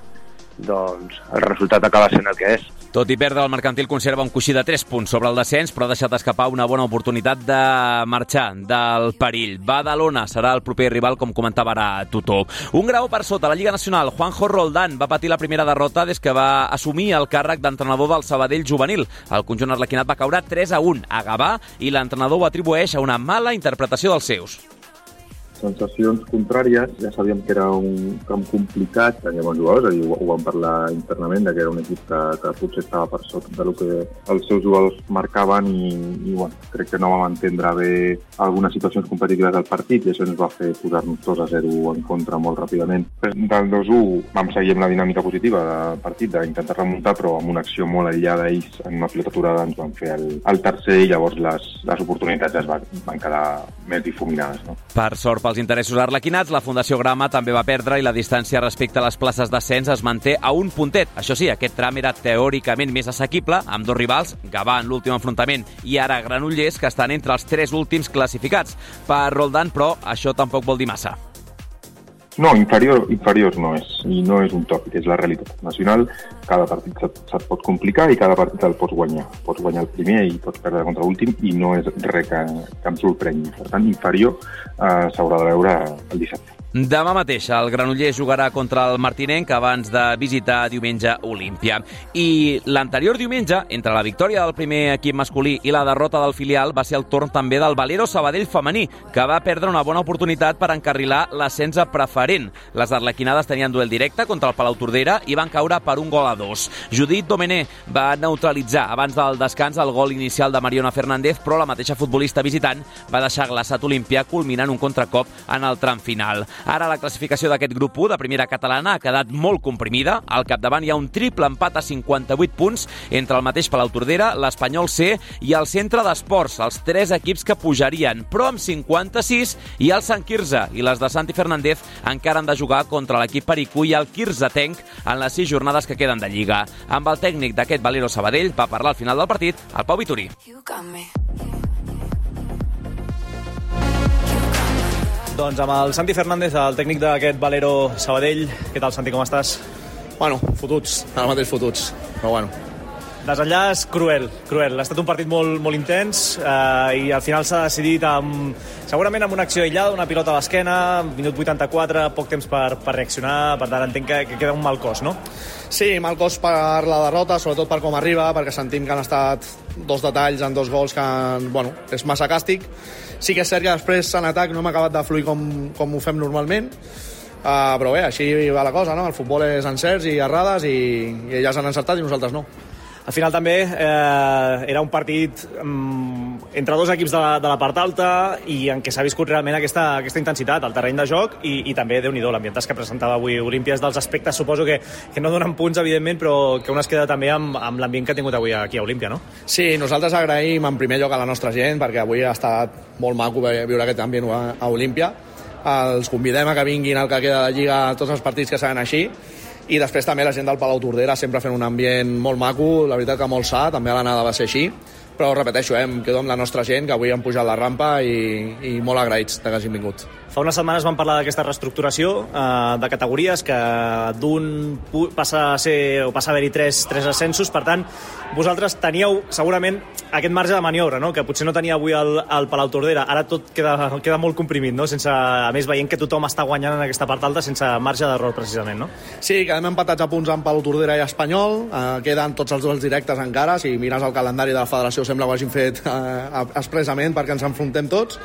doncs el resultat acaba sent el que és. Tot i perdre, el Mercantil conserva un coixí de tres punts sobre el descens, però ha deixat escapar una bona oportunitat de marxar del perill. Badalona serà el proper rival, com comentava ara Tutó. Un grau per sota la Lliga Nacional. Juanjo Roldán va patir la primera derrota des que va assumir el càrrec d'entrenador del Sabadell juvenil. El conjunt arlequinat va caure tres a un a Gavà, i l'entrenador ho atribueix a una mala interpretació dels seus. Sensacions contràries, ja sabíem que era un camp complicat, teníem bons jugadors, ho, ho vam parlar internament, que era un equip que, que potser estava per sota del que els seus jugadors marcaven, i, i bueno, crec que no vam entendre bé algunes situacions competitives del partit, i això ens va fer posar-nos dos a zero en contra molt ràpidament. Del dos a u vam seguir amb la dinàmica positiva del partit, d'intentar remuntar, però amb una acció molt aïllada ells, en una pilota aturada ens van fer el, el tercer, i llavors les, les oportunitats es van, van quedar més difuminades. No? Per sort, pels interessos arlequinats, la Fundació Grama també va perdre i la distància respecte a les places d'ascens es manté a un puntet. Això sí, aquest tram era teòricament més assequible, amb dos rivals, Gavà en l'últim enfrontament i ara Granollers, que estan entre els tres últims classificats. Per Roldán, però, això tampoc vol dir massa. No, inferior, inferiors no és, i no és un tòpic, és la realitat nacional. Cada partit se't, se't pot complicar i cada partit el pots guanyar. Pots guanyar el primer i pots perdre contra l'últim i no és res que, que em sorprengui. Per tant, inferior eh, s'haurà de veure el dissabte. Demà mateix el Granollers jugarà contra el Martinenc abans de visitar diumenge Olímpia. I l'anterior diumenge, entre la victòria del primer equip masculí i la derrota del filial, va ser el torn també del Valero Sabadell femení, que va perdre una bona oportunitat per encarrilar l'ascens a preferent. Les arlequinades tenien duel directe contra el Palau Tordera i van caure per un gol a dos. Judit Domené va neutralitzar abans del descans el gol inicial de Mariona Fernández, però la mateixa futbolista visitant va deixar glaçat Olímpia, culminant un contracop en el tram final. Ara la classificació d'aquest grup u de primera catalana ha quedat molt comprimida. Al capdavant hi ha un triple empat a cinquanta-vuit punts entre el mateix Palau Tordera, l'Espanyol C i el Centre d'Esports, els tres equips que pujarien, però amb cinquanta-sis i el Sant Quirze i les de Santi Fernández encara han de jugar contra l'equip Pericú i el Quirzetenc en les sis jornades que queden de Lliga. Amb el tècnic d'aquest Valero Sabadell va parlar al final del partit el Pau Vitorí. Doncs amb el Santi Fernández, el tècnic d'aquest Valero Sabadell. Què tal, Santi, com estàs? Bueno, fotuts, ara mateix fotuts, però bueno. Desenllaç cruel, cruel. Ha estat un partit molt, molt intens eh, i al final s'ha decidit amb, segurament amb una acció aïllada, una pilota a l'esquena, minut vuitanta-quatre, poc temps per, per reaccionar, per tant entenc que, que queda un mal cos, no? Sí, mal cos per la derrota, sobretot per com arriba, perquè sentim que han estat dos detalls en dos gols que, bueno, és massa càstig. Sí que és cert que després en atac no hem acabat de fluir com, com ho fem normalment, uh, però bé, així va la cosa, no? El futbol és encerts i errades i, i elles han encertat i nosaltres no. Al final també eh, era un partit um, entre dos equips de la, de la part alta i en què s'ha viscut realment aquesta, aquesta intensitat, el terreny de joc i, i també, Déu-n'hi-do, l'ambientatge que presentava avui Olímpia és dels aspectes, suposo que, que no donen punts, evidentment, però que un es queda també amb, amb l'ambient que ha tingut avui aquí a Olímpia, no? Sí, nosaltres agraïm en primer lloc a la nostra gent, perquè avui ha estat molt maco viure aquest ambient a, a Olímpia. Els convidem a que vinguin al que queda de Lliga a tots els partits que seran així. I després també la gent del Palau Tordera sempre fent un ambient molt maco, la veritat que molt sa, també a l'anada va ser així, però repeteixo, eh, em quedo amb la nostra gent, que avui han pujat la rampa i, i molt agraïts que hagin vingut. Fa unes setmanes vam parlar d'aquesta reestructuració eh, de categories, que d'un passa a ser o passa a haver-hi tres, tres ascensos, per tant, vosaltres teníeu segurament aquest marge de maniobra, no? Que potser no tenia avui el, el Palau Tordera, ara tot queda, queda molt comprimit, no? Sense, a més, veient que tothom està guanyant en aquesta part alta sense marge d'error, precisament, no? Sí, quedem empatats a punts amb Palau Tordera i Espanyol, eh, queden tots els duels directes encara, si mires el calendari de la federació sembla que ho hagin fet eh, expressament perquè ens enfrontem tots.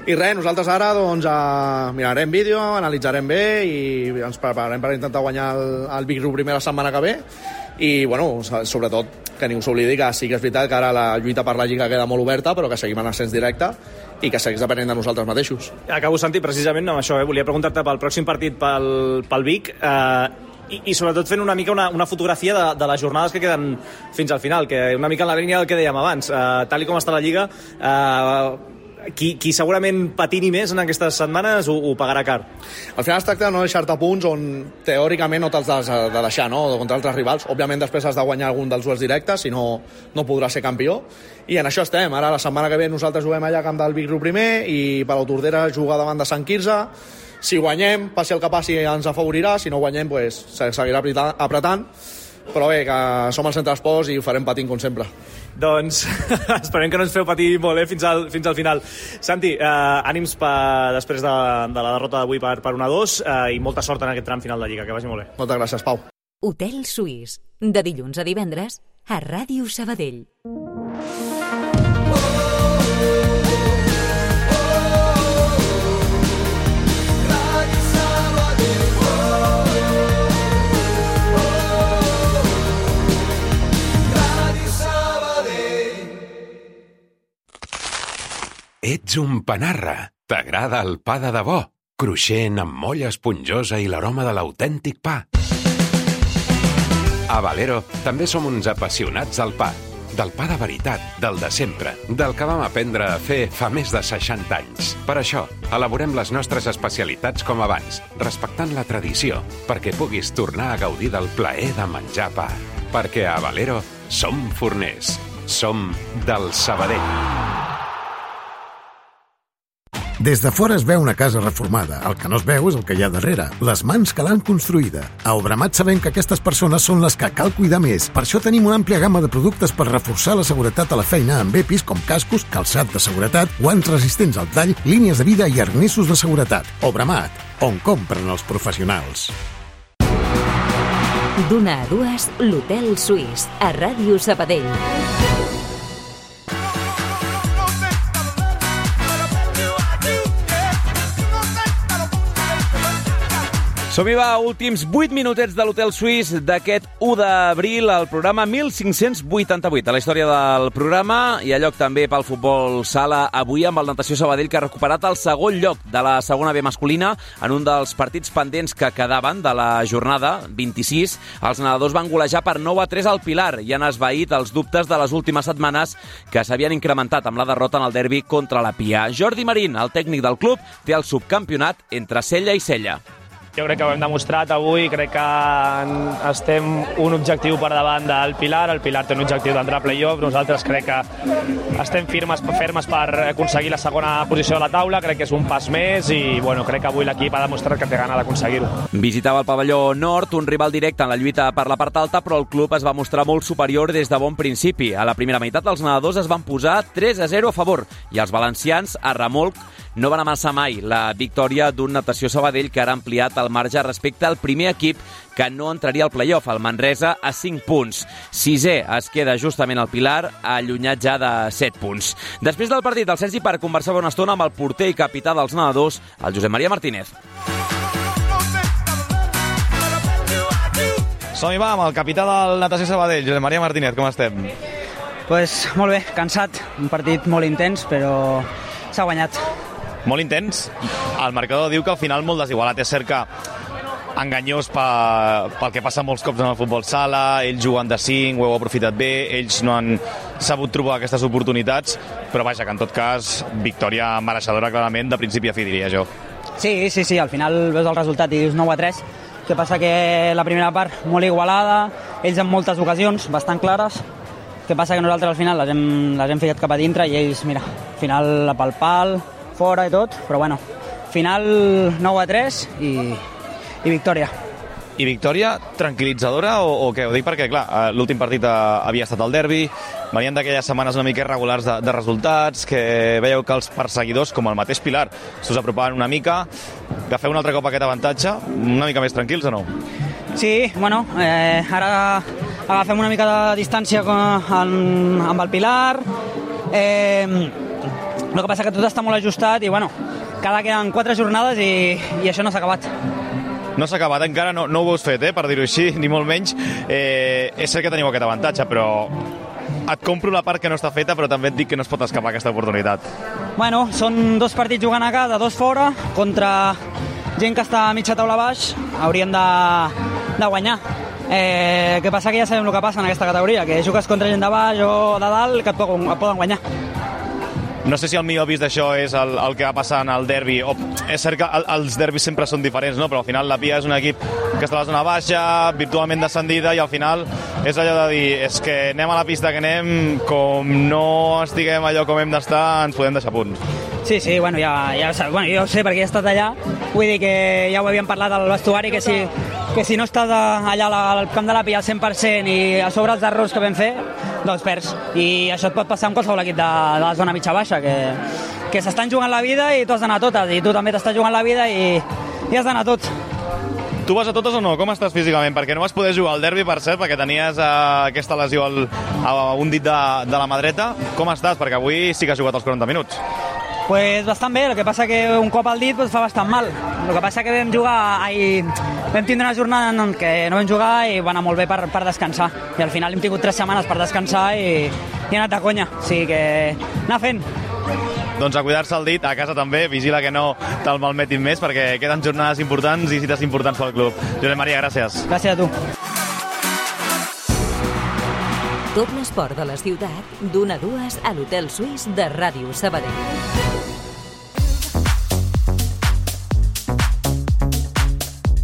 I res, nosaltres ara doncs, eh, mirarem vídeo, analitzarem bé i ens prepararem per intentar guanyar el, el Big Group primer la setmana que ve i, bueno, sobretot que ningú s'oblidi que sí que és veritat que ara la lluita per la Lliga queda molt oberta, però que seguim en ascens directe i que segueix depenent de nosaltres mateixos. Acabo, Santi, precisament amb això, eh? Volia preguntar-te pel pròxim partit pel, pel Vic, eh, i, i sobretot fent una mica una, una fotografia de, de les jornades que queden fins al final, que una mica en la línia del que dèiem abans, eh, tal i com està la Lliga, eh, Qui, qui segurament patini més en aquestes setmanes ho, ho pagarà car. Al final es tracta de no deixar-te punts on teòricament no te'ls has de deixar, no? Contra altres rivals. Òbviament després has de guanyar algun dels duels directes, si no, no podràs ser campió. I en això estem. Ara la setmana que ve nosaltres juguem allà a camp del Big Group primer i Palau Tordera juga davant de Sant Quirze. Si guanyem, passi el que passi, ens afavorirà. Si no guanyem, pues, seguirà apretant. Però bé, que som al Centre d'Esports i ho farem patint com sempre. Doncs esperem que no ens feu patir molt, eh, fins al, fins al final. Santi, eh, ànims per, després de, de la derrota d'avui per, per un a dos eh, i molta sort en aquest tram final de Lliga. Que vagi molt bé. Moltes gràcies, Pau. Hotel Suís, de dilluns a divendres a Ràdio Sabadell. Ets un panarra. T'agrada el pa de debò, cruixent amb molla esponjosa i l'aroma de l'autèntic pa. A Valero també som uns apassionats del pa. del pa de veritat, del de sempre, del que vam aprendre a fer fa més de seixanta anys. Per això, elaborem les nostres especialitats com abans, respectant la tradició, perquè puguis tornar a gaudir del plaer de menjar pa. Perquè a Valero som forners. Som del Sabadell. Des de fora es veu una casa reformada. El que no es veu és el que hi ha darrere, les mans que l'han construïda. A Obramat sabem que aquestes persones són les que cal cuidar més. Per això tenim una àmplia gamma de productes per reforçar la seguretat a la feina amb EPIs com cascos, calçat de seguretat, guants resistents al tall, línies de vida i arnessos de seguretat. Obramat, on compren els professionals. D'una a dues, l'Hotel Suís, a Ràdio Sabadell. Som-hi va, últims vuit minutets de l'Hotel Suís d'aquest u d'abril, al programa mil cinc-cents vuitanta-vuit. A la història del programa hi ha lloc també pel futbol sala avui amb el Natació Sabadell, que ha recuperat el segon lloc de la segona B masculina en un dels partits pendents que quedaven de la jornada vint-i-sis. Els nedadors van golejar per nou a tres al Pilar i han esvaït els dubtes de les últimes setmanes que s'havien incrementat amb la derrota en el derbi contra la Pia. Jordi Marín, el tècnic del club, té el subcampionat entre Sella i Sella. Jo crec que ho hem demostrat avui, crec que estem un objectiu per davant del Pilar, el Pilar té un objectiu d'entrar a play-off, nosaltres crec que estem firmes, fermes per aconseguir la segona posició de la taula, crec que és un pas més i bueno, crec que avui l'equip ha demostrat que té gana d'aconseguir-ho. Visitava el pavelló nord, un rival directe en la lluita per la part alta, però el club es va mostrar molt superior des de bon principi. A la primera meitat els nedadors es van posar tres a zero a favor i els valencians, a remolc, no van amassar mai la victòria d'un Natació Sabadell que ara ha ampliat el marge respecte al primer equip que no entraria al play-off, el Manresa, a cinc punts. Sisè es queda justament el Pilar, allunyat ja de set punts. Després del partit, el Sergi Parc conversava una estona amb el porter i capità dels nedadors, el Josep Maria Martínez. Som-hi va amb el capità del Natació Sabadell, Josep Maria Martínez, com estem? Pues molt bé, cansat, un partit molt intens, però s'ha guanyat. Molt intens. El marcador diu que al final molt desigualat. És cert que enganyós pel, pel que passa molts cops en el futbol sala, ells juguen de cinc, ho heu aprofitat bé, ells no han sabut trobar aquestes oportunitats, però vaja, que en tot cas, victòria mereixedora clarament de principi a fi, diria jo. Sí, sí, sí, al final veus el resultat i dius nou a tres, que passa que la primera part molt igualada, ells en moltes ocasions bastant clares, que passa que nosaltres al final les hem, les hem ficat cap a dintre i ells, mira, al final pel pal, fora i tot, però bueno, final nou a tres i, i victòria. I victòria tranquil·litzadora o, o què? Ho dic perquè, clar, l'últim partit havia estat el derbi, venien d'aquelles setmanes una mica irregulars de, de resultats, que veieu que els perseguidors, com el mateix Pilar, s'us apropaven una mica, agafeu un altre cop aquest avantatge, una mica més tranquils o no? Sí, bueno, eh, ara agafem una mica de distància amb, amb el Pilar, eh, el que passa que tot està molt ajustat i, bueno, cada queden quatre jornades i, i això no s'ha acabat. No s'ha acabat, encara no, no ho heu fet, eh, per dir-ho així, ni molt menys. Eh, és cert que teniu aquest avantatge, però et compro la part que no està feta, però també et dic que no es pot escapar aquesta oportunitat. Bueno, són dos partits jugant a casa, dos fora, contra gent que està a mitja taula baix, hauríem de, de guanyar. Eh, que passa que ja sabem el que passa en aquesta categoria, que jugues contra gent de baix o de dalt que et poden, et poden guanyar. No sé si el millor vist d'això és el, el que va passar en el derbi. O, és cert que el, els derbis sempre són diferents, no? Però al final la Pia és un equip que està a la zona baixa, virtualment descendida, i al final és allò de dir, és que anem a la pista que anem, com no estiguem allò com hem d'estar, ens podem deixar punts. Sí, sí, bueno, ja, ja, bueno, jo ho sé perquè he estat allà, vull dir que ja ho havíem parlat al vestuari, que si, que si no estàs allà al camp de la Pia al cent per cent i a sobre els errors que vam fer, doncs perds. I això et pot passar amb qualsevol equip de, de la zona mitja-baixa, que, que s'estan jugant la vida i tu has d'anar a totes, i tu també t'estàs jugant la vida i, i has d'anar a tot. Tu vas a totes o no? Com estàs físicament? Perquè no vas poder jugar al derbi, per cert, perquè tenies eh, aquesta lesió al, a un dit de, de la mà dreta. Com estàs? Perquè avui sí que has jugat els quaranta minuts. Pues bastant bé, el que passa que un cop al dit pues, fa bastant mal. El que passa que vam jugar, ai, vam tindre una jornada en què no vam jugar i va anar molt bé per, per descansar. I al final hem tingut tres setmanes per descansar i, i he anat a conya. O sigui que anar fent. Doncs a cuidar-se el dit, a casa també, vigila que no te'l malmetin més perquè queden jornades importants i cites importants pel club. Josep Maria, gràcies. Gràcies a tu. Tot l'esport de la ciutat, d'una a dues a l'Hotel Suís de Ràdio Sabadell.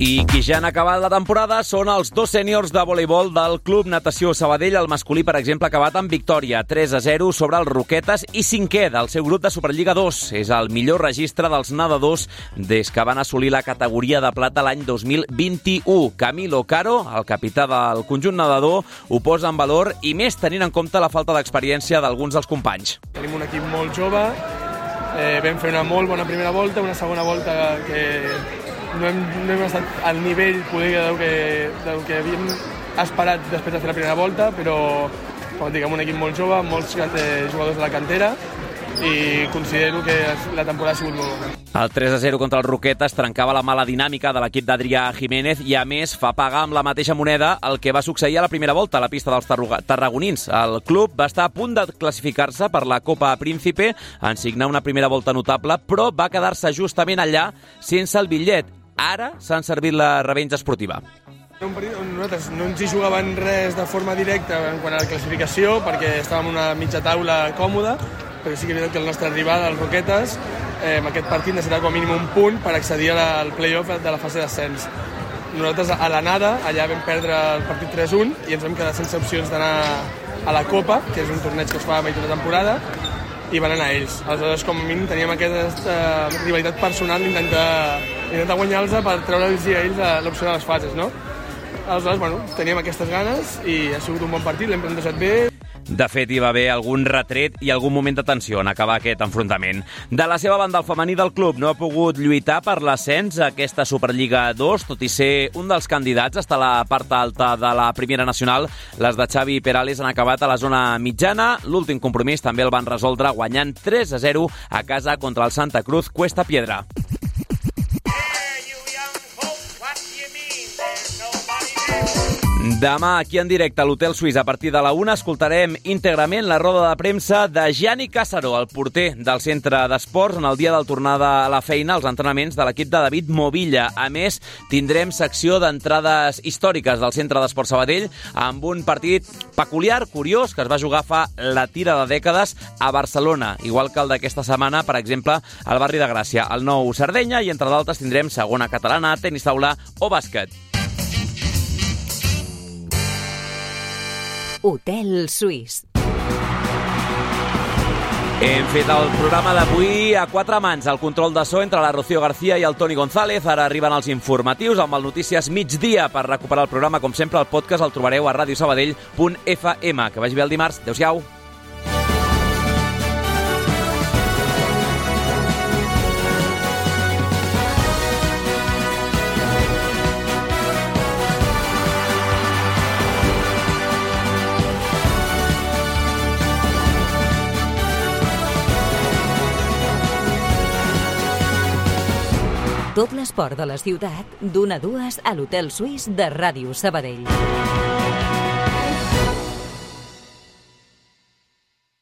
I qui ja han acabat la temporada són els dos sèniors de voleibol del Club Natació Sabadell. El masculí, per exemple, ha acabat amb victòria tres a zero sobre els Roquetes i cinquè del seu grup de Superliga dos. És el millor registre dels nedadors des que van assolir la categoria de plata l'any dos mil vint-i-u. Camilo Caro, el capità del conjunt nedador, ho posa en valor i més tenint en compte la falta d'experiència d'alguns dels companys. Tenim un equip molt jove, eh, vam fer una molt bona primera volta, una segona volta que no hem, no hem estat al nivell poder del que, del que havíem esperat després de fer la primera volta, però com dic, amb un equip molt jove, molts eh, jugadors de la cantera, i considero que la temporada ha sigut molt bona. El tres a zero contra el Roquetes trencava la mala dinàmica de l'equip d'Adrià Jiménez i, a més, fa pagar amb la mateixa moneda el que va succeir a la primera volta a la pista dels tarragonins. El club va estar a punt de classificar-se per la Copa Príncipe en signar una primera volta notable, però va quedar-se justament allà sense el bitllet. Ara s'han servit la revenja esportiva. Un partit on nosaltres no ens hi jugaven res de forma directa en quant a la classificació, perquè estàvem en una mitja taula còmoda, perquè sí que és veritat que el nostre rival, els Roquetes, eh, en aquest partit necessitava com a mínim un punt per accedir al play-off de la fase d'ascens. Nosaltres a l'anada, allà vam perdre el partit tres a un i ens vam quedar sense opcions d'anar a la Copa, que és un torneig que es fa a mitja de temporada, i van anar ells. Aleshores, com a mínim, teníem aquesta uh, rivalitat personal d'intentar intentar guanyar-los per treure'ls a ells l'opció de les fases, no? Aleshores, bueno, teníem aquestes ganes i ha sigut un bon partit, l'hem plantejat bé. De fet, hi va haver algun retret i algun moment de tensió en acabar aquest enfrontament. De la seva banda, el femení del club no ha pogut lluitar per l'ascens a aquesta Superliga dos, tot i ser un dels candidats hasta la part alta de la Primera Nacional. Les de Xavi Perales han acabat a la zona mitjana. L'últim compromís també el van resoldre guanyant tres a zero a casa contra el Santa Cruz Cuesta Piedra. Demà, aquí en directe a l'Hotel Suís, a partir de la una, escoltarem íntegrament la roda de premsa de Gianni Càssaro, el porter del centre d'esports, en el dia del tornada a la feina, als entrenaments de l'equip de David Movilla. A més, tindrem secció d'entrades històriques del centre d'esports Sabadell, amb un partit peculiar, curiós, que es va jugar fa la tira de dècades a Barcelona, igual que el d'aquesta setmana, per exemple, al barri de Gràcia, al nou Sardenya, i entre d'altres tindrem segona catalana, tenis taula o bàsquet. Hotel Suís. Hem fet el programa d'avui a quatre mans. El control de so entre la Rocío García i el Toni González. Ara arriben els informatius amb el Notícies Migdia. Per recuperar el programa, com sempre, el podcast el trobareu a radiosabadell punt f m. Que vagi bé el dimarts. Adéu-siau. Tot l'esport de la ciutat, d'una a dues a l'Hotel Suís de Ràdio Sabadell.